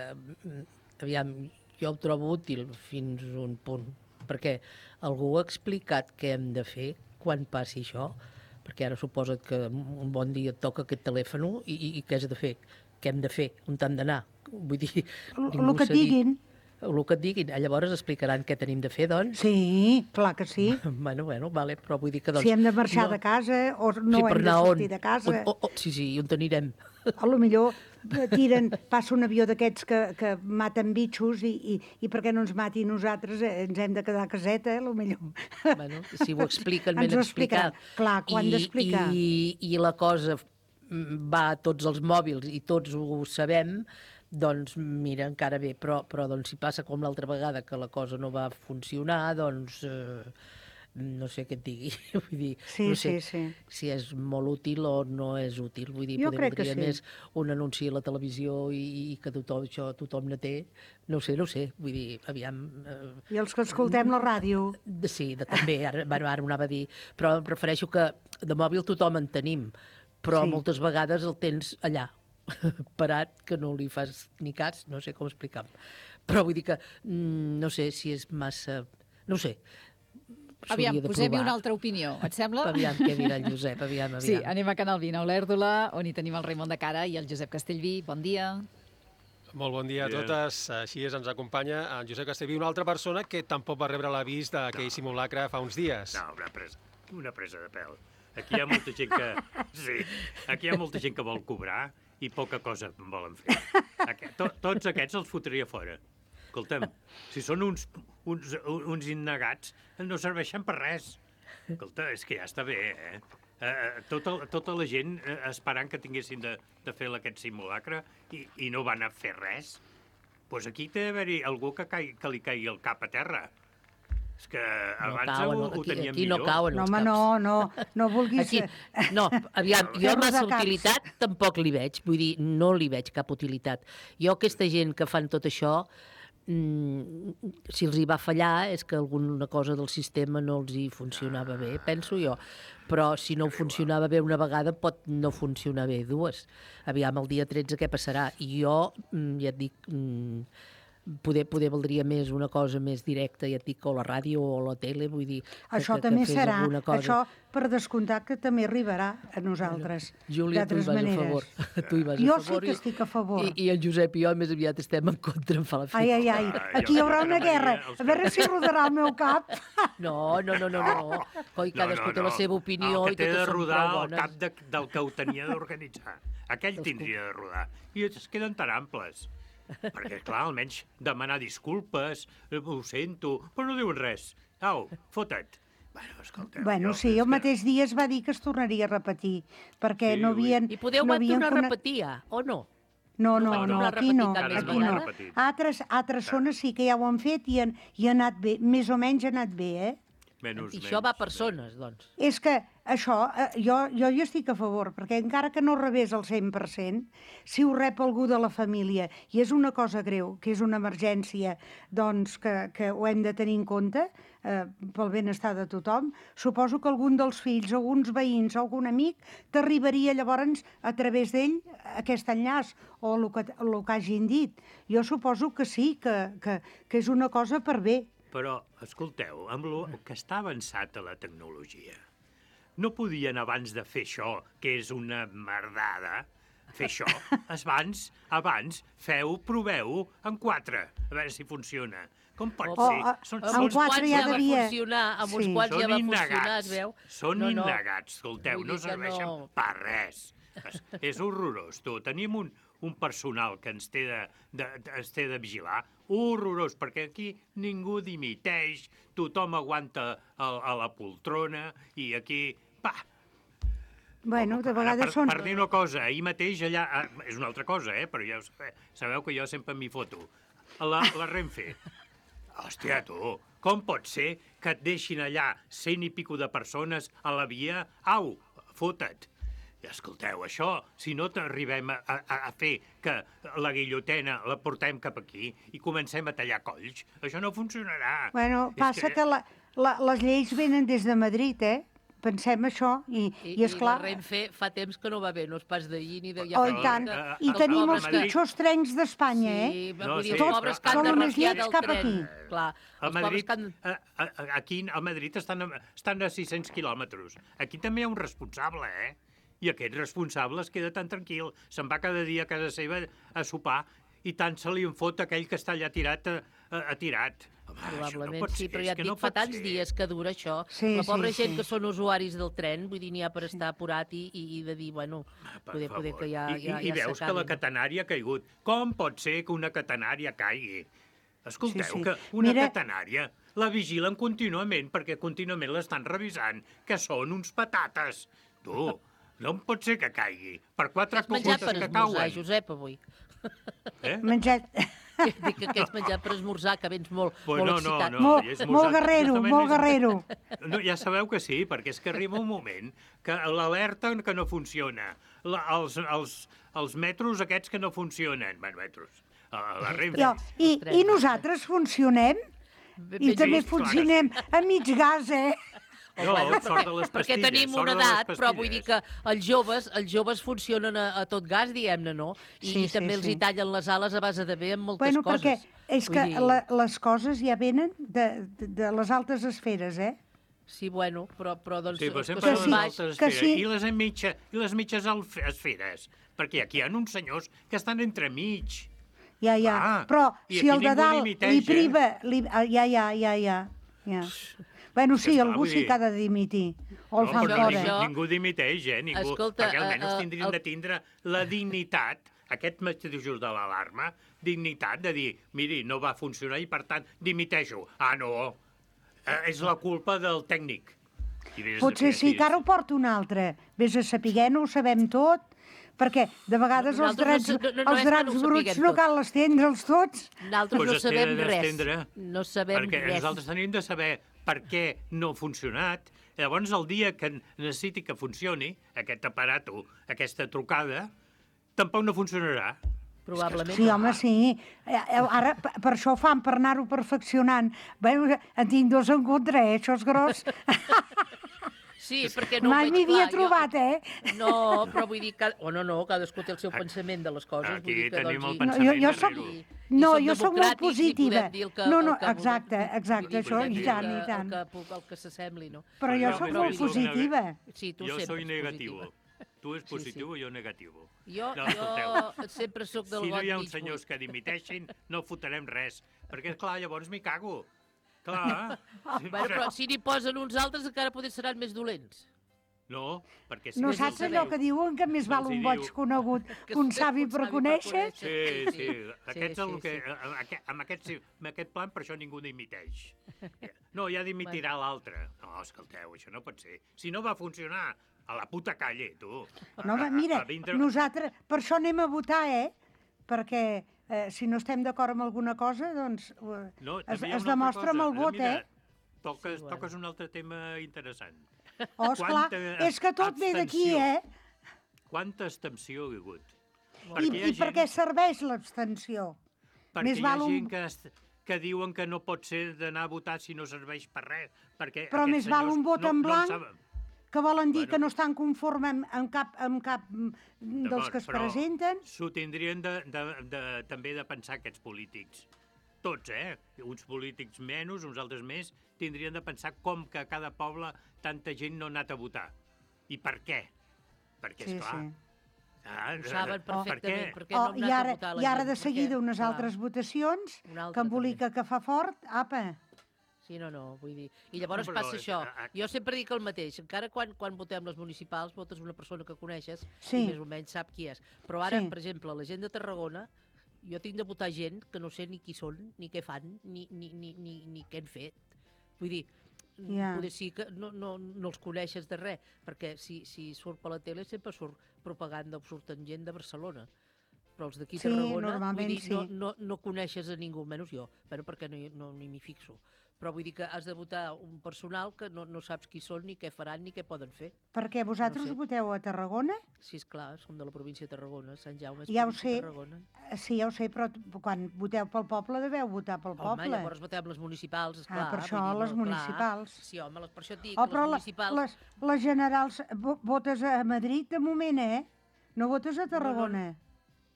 aviam, jo ho trobo útil fins a un punt, perquè algú ha explicat què hem de fer quan passi això, perquè ara suposa't que un bon dia et toca aquest telèfon i, i, i què has de fer? Què hem de fer? On t'han d'anar? Vull dir, el que et diguin. El que et diguin. Llavors explicaran què tenim de fer, doncs? Sí, clar que sí. Bueno, bueno, vale, però vull dir que, doncs... Si hem de marxar no... de casa o no sí, hem de sortir on? de casa... On, oh, oh, sí, sí, on t'anirem? A lo millor tiren, passa un avió d'aquests que, que maten bitxos i, i, i per què no ens mati nosaltres? Ens hem de quedar a caseta, a lo millor. Bueno, si ho expliquen ben explicat. Clar, que ho han d'explicar. I, I la cosa va a tots els mòbils i tots ho sabem, doncs mira, encara bé, però, però doncs, si passa com l'altra vegada que la cosa no va funcionar, doncs eh, no sé què et digui. Vull dir, sí, no sé sí, sí. si és molt útil o no és útil. Vull dir, jo poder crec que sí. més un anunci a la televisió i, i que tothom, això tothom ne té. No sé, no sé. Vull dir, aviam... Eh, I els que escoltem la ràdio. De, sí, de, també, ara, bueno, ara ho anava a dir. Però em prefereixo que de mòbil tothom en tenim, però sí. moltes vegades el tens allà, parat, que no li fas ni cas, no sé com explicar-ho. Però vull dir que no sé si és massa... No sé. Aviam, posem-hi una altra opinió, et sembla? Aviam, què dirà el Josep, aviam, aviam. Sí, anem a Canal vint, a Olèrdola, on hi tenim el Raimon de Cara i el Josep Castellví. Bon dia. Molt bon dia a totes. Així és, ens acompanya en Josep Castellví, una altra persona que tampoc va rebre l'avís d'aquell no. simulacre fa uns dies. No, una presa, una presa de pèl. Aquí hi ha molta gent que... Sí, aquí hi ha molta gent que vol cobrar i poca cosa volen fer. Aquest, to, tots aquests els fotria fora. Escolta'm, si són uns, uns, uns innegats, no serveixen per res. Escolta, és que ja està bé, eh? Eh, tota, tota la gent eh, esperant que tinguessin de, de fer aquest simulacre i, i no van a fer res. Doncs pues aquí té d'haver-hi algú que, caigui, que li caigui el cap a terra. És que abans no cauen, ho, ho teníem aquí, aquí millor. No cauen no, els home, caps. no, no, no vulguis... Aquí, no, aviam, jo massa utilitat tampoc li veig, vull dir, no li veig cap utilitat. Jo aquesta gent que fan tot això, mmm, si els hi va fallar és que alguna cosa del sistema no els hi funcionava bé, penso jo. Però si no funcionava bé una vegada pot no funcionar bé dues. Aviam, el dia tretze què passarà? I jo, ja et dic... Mmm, Poder, poder valdria més una cosa més directa, ja et dic, o la ràdio o la tele, vull dir... Això que, també que serà, cosa. això per descomptar que també arribarà a nosaltres, Júlia, tu hi vas maneres. a favor. Tu hi vas jo a favor. sí que estic a favor. I, I el Josep i jo més aviat estem en contra, em fa la fi. Ai, ai, ai, aquí hi haurà una guerra, a veure si rodarà el meu cap. No, no, no, no, no. Coi, cadascú no, no, té la seva opinió el que i totes té de rodar són el cap de, del que ho tenia d'organitzar. Aquell tindria de rodar. I es queden tan amples. Perquè, clar, almenys demanar disculpes, ho sento, però no diuen res. Au, fota't. Bueno, escolteu, Bueno, jo, sí, és el mateix dia es va dir que es tornaria a repetir, perquè Sí, no ui. havien... I podeu no no havien tornar a cone- repetir, ja, o no? No, No no, vaig no, tornar a aquí repetir no, cap més aquí no. vegada? Altres, altres zones sí que ja ho han fet i, han, i ha anat bé, més o menys ha anat bé, eh? Menys, I això va a persones, doncs. És que això, eh, jo, jo hi estic a favor, perquè encara que no rebés el cent per cent, si ho rep algú de la família i és una cosa greu, que és una emergència, doncs que, que ho hem de tenir en compte eh, pel benestar de tothom, suposo que algun dels fills, alguns veïns o algun amic t'arribaria llavors a través d'ell aquest enllaç o el que, el que hagin dit. Jo suposo que sí, que, que, que és una cosa per bé. Però, escolteu, amb el que està avançat a la tecnologia, no podien, abans de fer això, que és una merdada, fer això, abans, abans, feu, proveu en quatre, a veure si funciona. Com pot Oh, ser? ah, en quatre ja devia- funcionar, amb uns Sí. quants ja Són va funcionar, innegats, es veu? Són No, no. innegats, escolteu, Vull no dir que serveixen no. per res. És, és horrorós, tu. Tenim un, un personal que ens té de, de, de, ens té de vigilar, horrorós, perquè aquí ningú dimiteix, tothom aguanta a, a la poltrona i aquí, pa, Bueno, de Ara, vegades per, són... per dir una cosa, ahir mateix allà... ah, És una altra cosa, eh? Però ja ho sabeu, sabeu que jo sempre m'hi foto. A la, la Renfe. Hòstia, tu, com pot ser que et deixin allà cent i pico de persones a la via? Au, fota't. I escolteu, això, si no t'arribem a, a, a fer que la guillotena la portem cap aquí i comencem a tallar colls, això no funcionarà. Bueno, És passa que, que la, la, les lleis venen des de Madrid, eh? Pensem això, i, I, i és clar... I la Renfe fa temps que no va bé, no és pas d'ahir ni de... Oh, i tant. que- I els tenim pobres els que- pitjors trens d'Espanya, eh? Sí, No, vull dir, sí, els pobres però- que han Són de més refiar llets del cap tren. aquí. Clar, A els pobres Madrid, que han... a, a, a- aquí a Madrid estan a, estan a sis-cents quilòmetres. Aquí també hi ha un responsable, eh? I aquest responsable es queda tan tranquil. Se'n va cada dia a casa seva a sopar i tant se li en fot aquell que està allà tirat, a, a, a tirat. Home, Probablement això no pot sí, ser, però és ja et que dic, no fa pot tants ser. dies que dura això. Sí, la pobra sí, gent sí. que són usuaris del tren, vull dir, n'hi ha per estar apurat i, i, i de dir, bueno, Per poder, poder favor. que ja, I, ja, i, i ja veus que s'acabi, la no? catenària ha caigut. Com pot ser que una catenària caigui? Escolteu, Sí, sí. que una Mira- catenària la vigilen contínuament perquè contínuament l'estan revisant, que són uns patates. Tu, no pot ser que caigui. Per quatre Has menjat cogotes per que esmorzar, cauen. Josep, avui. Eh? Menjat... Dic que has menjat per esmorzar, que vens molt, Pues molt no, no, excitat. no. Molt, i és molt mosat- guerrero, justament molt és- guerrero. No, ja sabeu que sí, perquè és que arriba un moment que l'alerta que no funciona, la, els, els, els metros aquests que no funcionen, bueno, metros, a la Renfe. Jo, i, I nosaltres funcionem? I ben també vist, clar que funcionem a mig gas, eh? No, sort de les Perquè pastilles, tenim sort una de les edat, però vull dir pastilles. que els joves, els joves funcionen a, a tot gas, diguem-ne, no? I, Sí, i també sí, els sí. hi tallen les ales a base de bé amb moltes Bueno, perquè coses. és Vull que dir, la, les coses ja venen de, de, de les altes esferes, eh? Sí, bueno, però, però doncs... Sí, però els que sempre són són baix- altres que esferes. sí. I les, mitja, I les mitges alf- esferes. Perquè aquí hi ha uns senyors que estan entremig. Ja, ja. Ah, Però i si aquí el de ningú dalt dimiteix, li eh? priva... Li, ah, ja, ja, ja, ja. ja. Bueno, sí, esclar, algú vull sí dir- que ha de dimitir. O el No, fan però fora. ningú, ningú dimiteix, eh? Ningú, Escolta, perquè almenys eh, eh, tindrien el- de tindre la dignitat, aquest mateixos de l'alarma, dignitat de dir, miri, no va funcionar i per tant dimiteixo. Ah, no, eh, és la culpa del tècnic. I vés a Potser saber sí, si- que ara ho porta un altre. Vés a saber, no ho sabem tot, perquè de vegades els Nosaltres drets, no sa- no- no és els que drets no ho bruts sapiguem no tot. cal estendre'ls tots. Nosaltres Pues no es té sabem de res. d'estendre, No sabem perquè res. nosaltres tenim de saber per què no ha funcionat. Llavors, el dia que necessiti que funcioni aquest aparato, aquesta trucada, tampoc no funcionarà. Probablement. Sí, home, sí. Eh, eh, Ara, p- per això ho fan, per anar-ho perfeccionant. Bé, en tinc dos en contra, eh? Això és gros. Sí, perquè no ho Mai veig m'hi havia clar. trobat, eh? Jo... No, però vull dir que... O no, no, cadascú té el seu pensament de les coses. Aquí vull dir que, tenim doncs, el i- No, jo, pensament jo soc, darrere. I no, som jo sóc molt democràtics i positiva. podem dir el que- No, el no, que vulguem. exacte, exacte, Vull dir, això, podem i dir tant, el i que- tant. El que, el que s'assembli, no? Però jo Però sóc no, molt no, no, positiva. Sí, tu Jo sempre soy ets negativo. positiva. Tu és Sí, sí. positiu i jo negativo. Jo, No, escolteu. jo sempre sóc del Si no got hi ha mig uns senyors buit. que dimiteixin, no fotrem res. Perquè, esclar, llavors m'hi cago. Clar. Bueno, però si n'hi posen uns altres encara potser seran més dolents. No, perquè... Si No més saps els allò diu- que diuen que més val els hi un boig diu- conegut que un savi per conèixer? Sí, sí. Aquests sí, el que, sí. amb, aquest, amb, aquest, amb aquest plan, per això ningú dimiteix. No, ja dimitirà l'altre. No, escolteu, això no pot ser. Si no va funcionar, a la puta calle, tu. No, home, mira, nosaltres per això anem a votar, eh? Perquè eh, si no estem d'acord amb alguna cosa, doncs eh, no, es, es demostra amb el vot, mira, eh? Toques, sí, bueno. toques un altre tema interessant. Oh, esclar, Quanta és que tot ve d'aquí, eh? Quanta abstenció hi ha hagut? I, i gent... per què serveix l'abstenció? Perquè Més hi ha gent un... que, que diuen que no pot ser d'anar a votar si no serveix per res. Perquè però més val un vot no, en blanc, no que volen dir bueno, que no estan conformes amb, amb cap, amb cap dels que es presenten. S'ho tindrien de, de, de, també de pensar aquests polítics. Tots, eh? Uns polítics menys, uns altres més, tindrien de pensar com que a cada poble tanta gent no ha anat a votar. I per què? Perquè, sí, esclar... Sí. Ah, ho saben perfectament, per perquè no oh, hem anat a votar la gent. I ara de seguida unes clar. altres votacions, que embolica que fa fort, apa... Sí, no, no, vull dir... I llavors no, passa això. Jo sempre dic el mateix. Encara quan, quan votem les municipals, votes una persona que coneixes sí. i més o menys sap qui és. Però ara, sí. per exemple, la gent de Tarragona, jo tinc de votar gent que no sé ni qui són, ni què fan, ni, ni, ni, ni, ni què han fet. Vull dir, yeah. poder sí que no, no, no els coneixes de res, perquè si, si surt per la tele sempre surt propaganda o surten gent de Barcelona. Però els d'aquí sí, Tarragona, vull dir, sí. no, no, no coneixes a ningú, menys jo, bueno, perquè no, no, ni m'hi fixo. Però vull dir que has de votar un personal que no, no saps qui són, ni què faran, ni què poden fer. Perquè vosaltres no sé. voteu a Tarragona? Sí, esclar, som de la província de Tarragona, Sant Jaume és ja província sé, de Tarragona. Sí, ja ho sé, però quan voteu pel poble deveu votar pel home, poble. Home, llavors votem les municipals, esclar. Ah, per això, dir, les no, municipals. Clar. Sí, home, per això et dic, oh, les municipals... Les, les generals, votes a Madrid de moment, eh? No votes a Tarragona. No, no.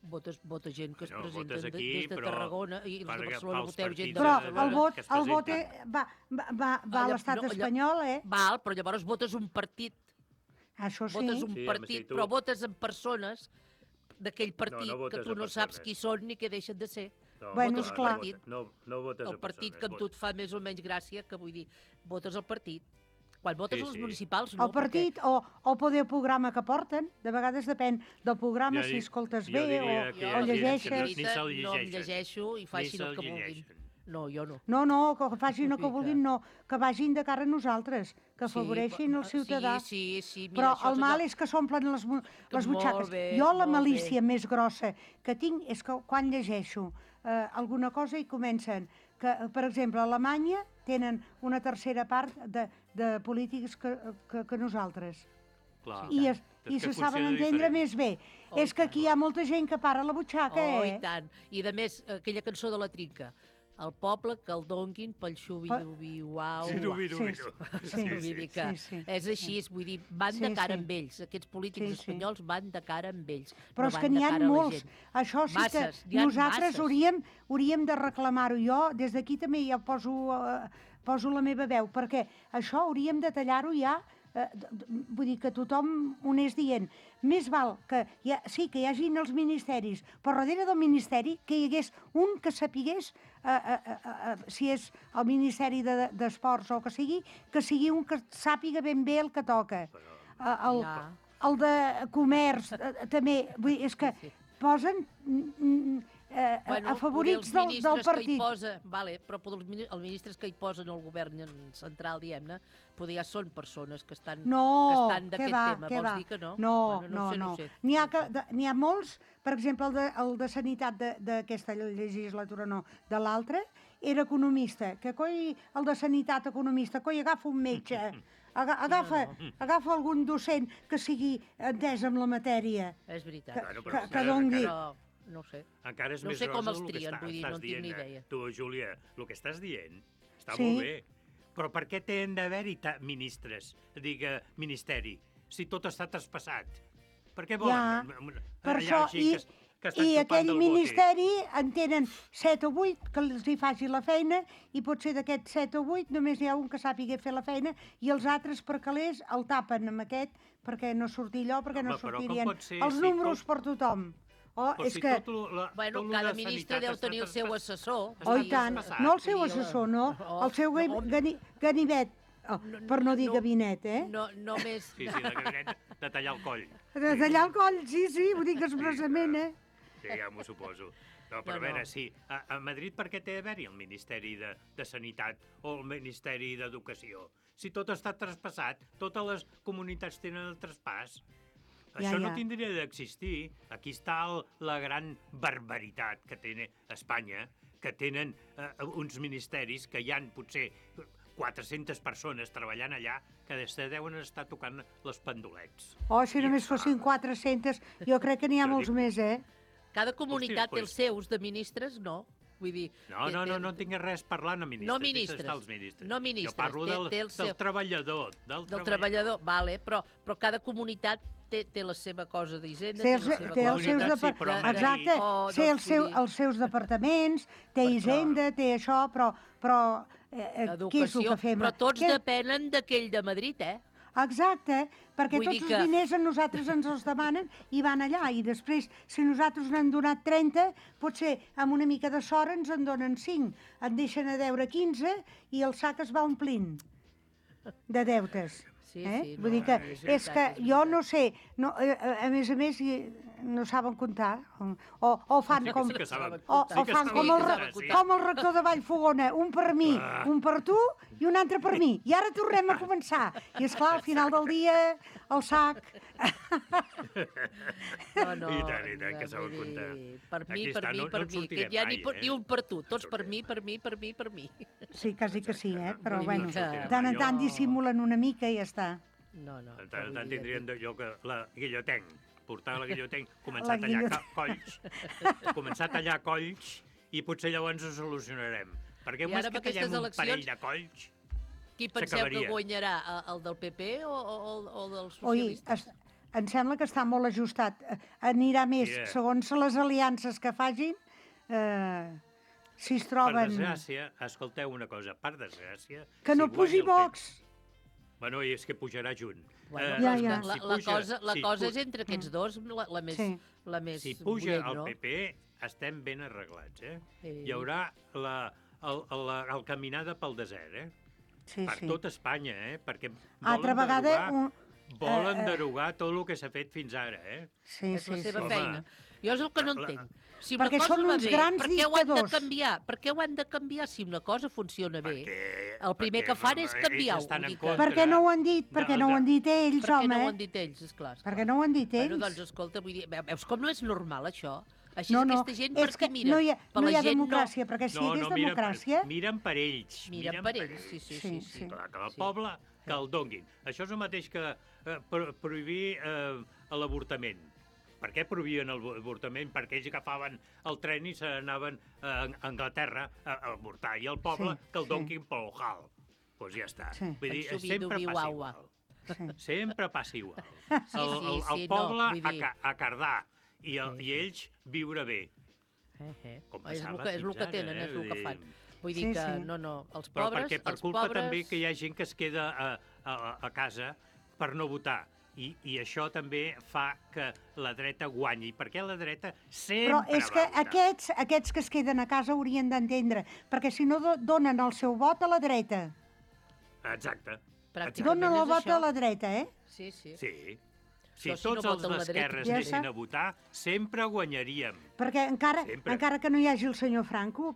Votes, vota gent que es no, presenten aquí, des de Tarragona i els de Barcelona voteu gent de però Barcelona. el vot, el vot va, va, va, va a l'estat no, espanyol, eh? Val, però llavors votes un partit. Això sí. Votes un sí, partit, tu... però votes en persones d'aquell partit no, no que tu no saps qui són ni què deixen de ser. No, bueno, votes clar. Partit, no, no votes el partit persones, que a tu et fa més o menys gràcia, que vull dir, votes el partit. Quan votes sí, els sí. municipals, no. El partit perquè... o, o poder programa que porten, de vegades depèn del programa, jo, si escoltes bé o, o llegeixes. No, no em llegeixo i facin el que vulguin. No, jo no. No, no, que facin el que vulguin, no. Que vagin de cara a nosaltres, que afavoreixin sí, el ciutadà. Sí, sí, sí. Mira, però el mal és que s'omplen les, les butxaques. Bé, jo la malícia bé. més grossa que tinc és que quan llegeixo eh, alguna cosa i comencen que, per exemple, a Alemanya tenen una tercera part de, de polítics que, que, que nosaltres. Clar. I, es, i se saben entendre diferent. Més bé. Oh, és que aquí hi ha molta gent que para la butxaca, oh, eh? I tant. I, de més, aquella cançó de la Trinca. El poble que el donguin pel xubi-dubi-uau. Sí, dubi-dubi. Sí, sí, sí, sí, sí. És així, vull dir, van sí, de cara sí. amb ells. Aquests polítics sí, sí. espanyols van de cara amb ells. Però no és que n'hi ha molts. Això sí masses, que nosaltres hauríem, hauríem de reclamar-ho. Jo, des d'aquí també ja poso, uh, poso la meva veu, perquè això hauríem de tallar-ho ja. Eh, vull dir que tothom ho anés dient. Més val que hi ha, sí, que hi hagin els ministeris, però darrere del ministeri que hi hagués un que sapigués eh, eh, eh, eh, si és el Ministeri d'Esports de, o que sigui, que sigui un que sàpiga ben bé el que toca. Eh, el, ja. el de comerç eh, també, vull dir, és que posen eh, bueno, afavorits del, del partit. Que posa, vale, però els ministres que hi posen el govern central, diguem-ne, poder ja són persones que estan, no, que estan d'aquest tema. Vols va. dir que no? No, bueno, no, no, sé, no. no sé. N'hi ha, que, n'hi ha molts, per exemple, el de, el de Sanitat d'aquesta legislatura, no, de l'altra, era economista, que coi, el de Sanitat economista, coi, agafa un metge, agafa, no, no. agafa algun docent que sigui entès amb la matèria. És veritat. Que, bueno, que, que dongui... Però... No sé. Encara és no més sé com els el trien, que està, vull dir, no en tinc ni idea. Tu, Júlia, el que estàs dient està sí. molt bé, però per què tenen d'haver-hi ministres, diga, ministeri, si tot està traspassat? Per què volen? Ja, per això, i, que, que i aquell ministeri en tenen set o vuit que els hi faci la feina i potser d'aquests set o vuit només hi ha un que sàpiga fer la feina i els altres per calés el tapen amb aquest perquè no surti allò, perquè no, no sortirien els si números tot... per tothom. Oh, és si que... Tot la, bueno, tot cada ministre deu tenir el seu assessor. Oh, i tant. No el seu assessor, no. El seu gani, ganivet, oh, per no dir no, gabinet, eh? No, només... Sí, sí, de gabinet de tallar el coll. De tallar el coll, sí, sí, ho dic expressament, eh? Sí, ja m'ho suposo. No, però a veure, sí. A, a Madrid per què té a haver-hi el Ministeri de, de Sanitat o el Ministeri d'Educació? Si tot està traspassat, totes les comunitats tenen el traspàs. Ja, Això no ja. tindria d'existir. Aquí està el, la gran barbaritat que té Espanya, que tenen eh, uns ministeris que hi han potser quatre-centes persones treballant allà que se deuen estar tocant les pendolets. Oh, si només fossin quatre-centes, jo crec que n'hi ha Jo molts dic- més, eh? Cada comunitat té Hosti, els seus, de ministres, no. Vull dir... No, no, no, no tinc res parlant a ministres. No ministres. Deixa estar els ministres. No ministres. Jo parlo té- del, té el seu- del treballador. Del, Del treballador, vale, però, però cada comunitat té, té la seva cosa d'Hisenda, Té té els, la seva té els cosa... seus Comunitat, sí, depar- però a Exacte, Madrid- Oh, té doncs, els, seu, vull dir- els seus departaments, té Hisenda, té això, però, però eh, eh, què és el Educació, que fem? però tots Què- depenen d'aquell de Madrid, eh? Exacte, perquè Vull tots dir els que- diners a nosaltres ens els demanen i van allà. I després, si nosaltres n'han donat trenta, potser amb una mica de sort ens en donen cinc. En deixen a deure quinze i el sac es va omplint de deutes. Sí, eh? sí, Vull no, dir que és és veritat, que és jo no sé, no, a, a a més a més i no saben comptar, o, o fan Sí que- com, sí que saben. o, Sí o que fan saben com el, comptar, re- sí. com el rector de Vallfogona, un per mi, Ah. un per tu i un altre per mi. I ara tornem a començar. I és clar, al final del dia, el sac... No, no, I tant, i tant, que vull saben dir, comptar. Per mi, Aquí per està, mi, no- no per en mi, que sortirem ja ni, mai, per, eh? ni un per tu, tots per mi, per mi, per mi, per mi. Sí, quasi que sí, eh? Però Vull dir bueno, que- de tant en tant dissimulen una mica i ja està. No, no. En tant en vull tant dir, tindrien de, jo que la guillotenc, portar la guillotenc, començar La a tallar guilloteng. ca- colls, començar a tallar colls i potser llavors ho solucionarem. Perquè I només ara que amb aquestes tallem un eleccions- parell de colls Qui penseu que s'acabaria. guanyarà, eh, el del P P o, o, o dels Oi, socialistes? es, em sembla que està molt ajustat. Eh, Anirà més, Mira. segons les aliances que facin, eh, si es Per troben... desgràcia, escolteu una cosa, per desgràcia... Que no si pugi guanya el Vox! P P Bueno, i és que pujarà junt. Bueno, Eh, Ja, doncs ja. La, si la, puja- cosa, la si cosa pu- és entre aquests dos la, la més, Sí. la més Si puja bullent, el no? P P, estem ben arreglats, eh? Sí. Hi haurà la, el, el, el caminada pel desert, eh? Sí, per sí. tot Espanya, eh? Perquè Altra volen vegada... derogar, Un... volen eh, eh, derogar tot el que s'ha fet fins ara, eh? Sí, És la sí, seva sí. feina. Jo és el que no La- entenc. Si una Perquè cosa són va uns bé, grans per què ho han de dictadors. canviar? Per què ho han de canviar si una cosa funciona bé? Perquè, El primer perquè que fan és ells canviar-ho. estan vull en dir que- contra. Per què no ho han dit? Per què no ho han dit ells, Per què home? no ho han dit ells, esclar. esclar. Per què no ho han dit ells? Bueno, doncs, escolta, vull dir, veus com no és normal, això? Així No, és no, aquesta gent, per és que què mira? no hi ha, Per no la hi ha gent democràcia, perquè si hi hagués miren per- democràcia... Miren per ells. Miren per ells, sí, sí, sí. sí. Clar, que el Sí. poble que el donguin. Això és el mateix que eh, pro prohibir eh, l'avortament. Per què prohibien el avortament? Perquè ells agafaven el tren i se n'anaven a Anglaterra a, a avortar. I el poble Sí, que el sí. donguin pel hal. Doncs pues ja està. Sí. Vull dir, Penso sempre vidu, passa viu, au, igual. Sí. Sempre passa igual. Sí, el, sí, el, el sí, no, poble vull dir- a, ca a cardar i, el, i ells viure bé. Eh, eh. Com És el passava que, és el fins que ara, tenen, eh? és el que Vull fan. dir- Vull dir Sí, que, sí. no, no, els Però pobres... perquè per els culpa pobres... també que hi ha gent que es queda a, a, a casa per no votar. I, I això també fa que la dreta guanyi, perquè la dreta sempre Però és que va votar. aquests, aquests que es queden a casa haurien d'entendre, perquè si no do donen el seu vot a la dreta. Exacte. Pràcticament Donen el és vot això. a la dreta, eh? Sí, sí. Sí. Si Això, si tots no els voten la dreta, d'esquerres ja anessin està. a votar, sempre guanyaríem. Perquè encara, Sempre. encara que no hi hagi el senyor Franco,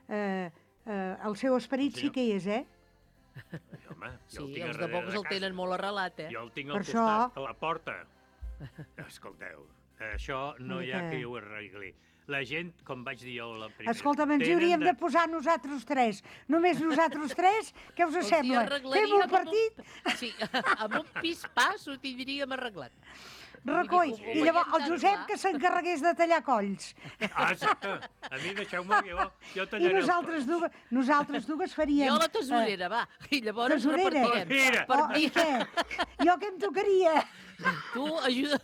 eh, eh, el seu esperit El sí senyor- que hi és, eh? I, home, Sí, jo el tinc els a de darrere Vox el casa. tenen molt arrelat, eh? Jo el tinc Per al això- costat, a la porta. Escolteu, això no hi ha Mica. qui ho arregli. La gent, com vaig dir jo la primera... Escolta'm, ens hi tenen hauríem de posar nosaltres tres. Només nosaltres tres? Què us Els hi sembla? arreglaríem Fem un amb partit? Un... Sí, amb un pis-pas ho tindríem arreglat. Recoll. Vull dir, ho I llavors veiem el Josep tan que s'encarregués de tallar colls. Ah, exacte. A mi deixeu-me que jo, jo I tallaré nosaltres dues, nosaltres dues faríem... Jo la tesorera, va. I llavors Tesorera? repartirem. Mira. Per Oh, mi, I què? Jo què em tocaria? tu ajuda...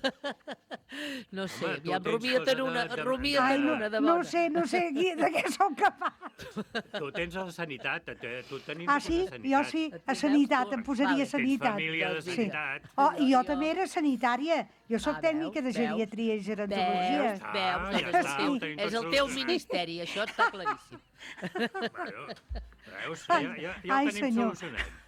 No sé, Home, tu ja tens rumia't en cosa una, de- de- rumia't Ai, en no, una de no bona. ho sé, no sé qui- de què sóc capaç. Tu tens la sanitat, te- tu tenim Ah, la sí? sanitat. Jo sí, a sanitat, em posaria Vale. a sanitat. Tens família de Sí. sanitat. Oh, i jo Jo- també era sanitària. Jo sóc Ah, tècnica de veus, veus? geriatria i Veus, gerontologia. veus, Ah, veus, ja és, el està, teu, ho tenim és tot el teu solucionat. ministeri, això està claríssim. Bueno, veus? Ja, ja, ja Ai, ho tenim senyor. solucionat.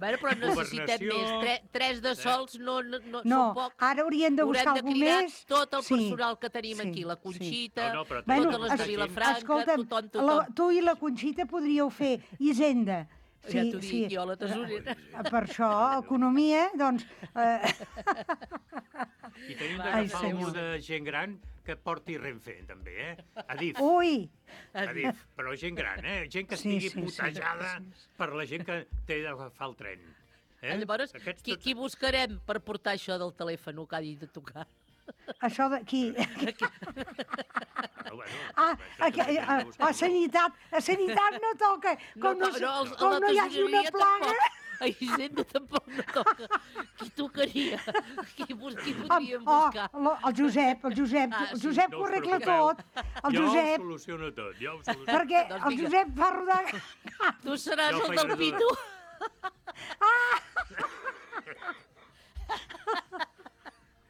Bueno, però necessitem més. Tre, tres de sols no, no, no, No, són pocs. ara hauríem de buscar algú més. Haurem de cridar tot el Sí, personal que tenim sí, aquí, la Conxita, No, no, però Bueno, totes les de es- Vilafranca, escolta'm, tothom, la, tothom. tu i la Conxita podríeu fer Hisenda. Ja t'ho dic, jo, la tesorera. Eh, Per això, economia, doncs... Eh, I tenim Ai, d'agafar senyor. algú de gent gran que porti Renfe, també, eh? Adif. Ui! Adif, però gent gran, eh? Gent que Sí, estigui sí, sí, putejada sí, per la gent que té d'agafar el tren. Eh? Llavors, Aquests qui, tots- qui buscarem per portar això del telèfon que hagi de tocar? Això d'aquí... Ah, bueno, Ah, això a, també a, hem de a, buscar. a sanitat, a sanitat no toca. Com no, to- no, els- com la no hi hagi una tesoreria plaga... tampoc. A Hisenda tampoc no toca. Qui tocaria? Qui, bus- qui podríem Oh, buscar? lo- el Josep, el Josep, Ah, el sí. Josep No ho us arregla preocupeu. tot. El Jo ho Josep, soluciono tot, jo ho soluciono. perquè Doncs el vinga. Josep fa rodar... Tu seràs Jo el faig del de Pitu?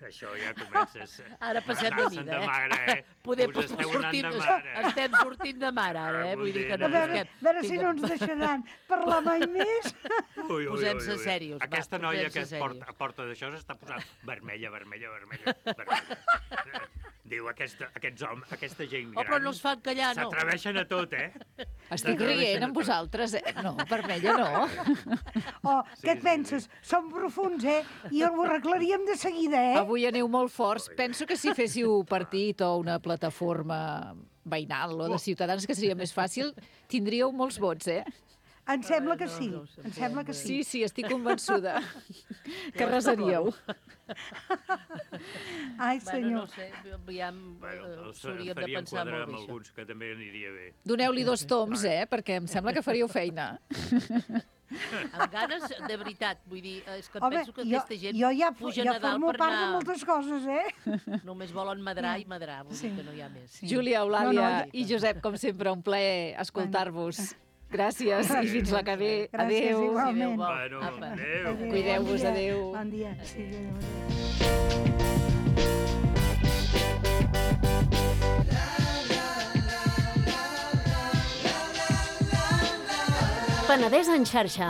Això ja comences... Ara passem de anar-se'n mida, eh? mare, eh? Podem, Us esteu anant sortim, de mare. estem sortint de mar ara, eh? Vull dir que no A veure, busquem. a veure si Vinga. no ens deixaran parlar mai més. Ui, ui, ui, Posem-se ui. serios, va, Aquesta noia posem-se que es porta, serios. porta d'això s'està posant vermella, vermella, vermella, vermella. Diu, aquesta, aquests homes, aquesta gent Oh, gran... però no es fan callar, no. S'atreveixen a tot, eh? Estic S'atreveixen rient a amb tot. vosaltres, eh? No, vermella no. Oh, què et penses? Som profuns, eh? I ho arreglaríem de seguida, eh? Avui aneu molt forts. Penso que si féssiu partit o una plataforma veïnal o de ciutadans, que seria més fàcil, tindríeu molts vots, eh? Em sembla que sí, em sembla que Sí, sí. sí, estic convençuda que resaríeu. Ai, Bueno, senyor. no sé, aviam, Bueno, eh, els s'hauríem de faríem pensar quadrar molt amb bé, això. alguns, que també aniria bé. Doneu-li dos toms, eh? Perquè em sembla que faríeu feina. Amb ganes, de veritat, vull dir, és que em Home, penso que jo, aquesta gent jo ja, puja ja a Nadal formo per part de anar... moltes coses, eh? Només volen madrar i madrar, vull dir que no hi ha més. Júlia, Eulàlia No, no, i Josep, com sempre, un plaer escoltar-vos. Gràcies i fins la que ve. Gràcies, Adéu. igualment. Bueno, Apa. adéu. Cuideu-vos, Bon dia. adéu. Bon dia. Sí, adéu, adéu. Penedès en xarxa.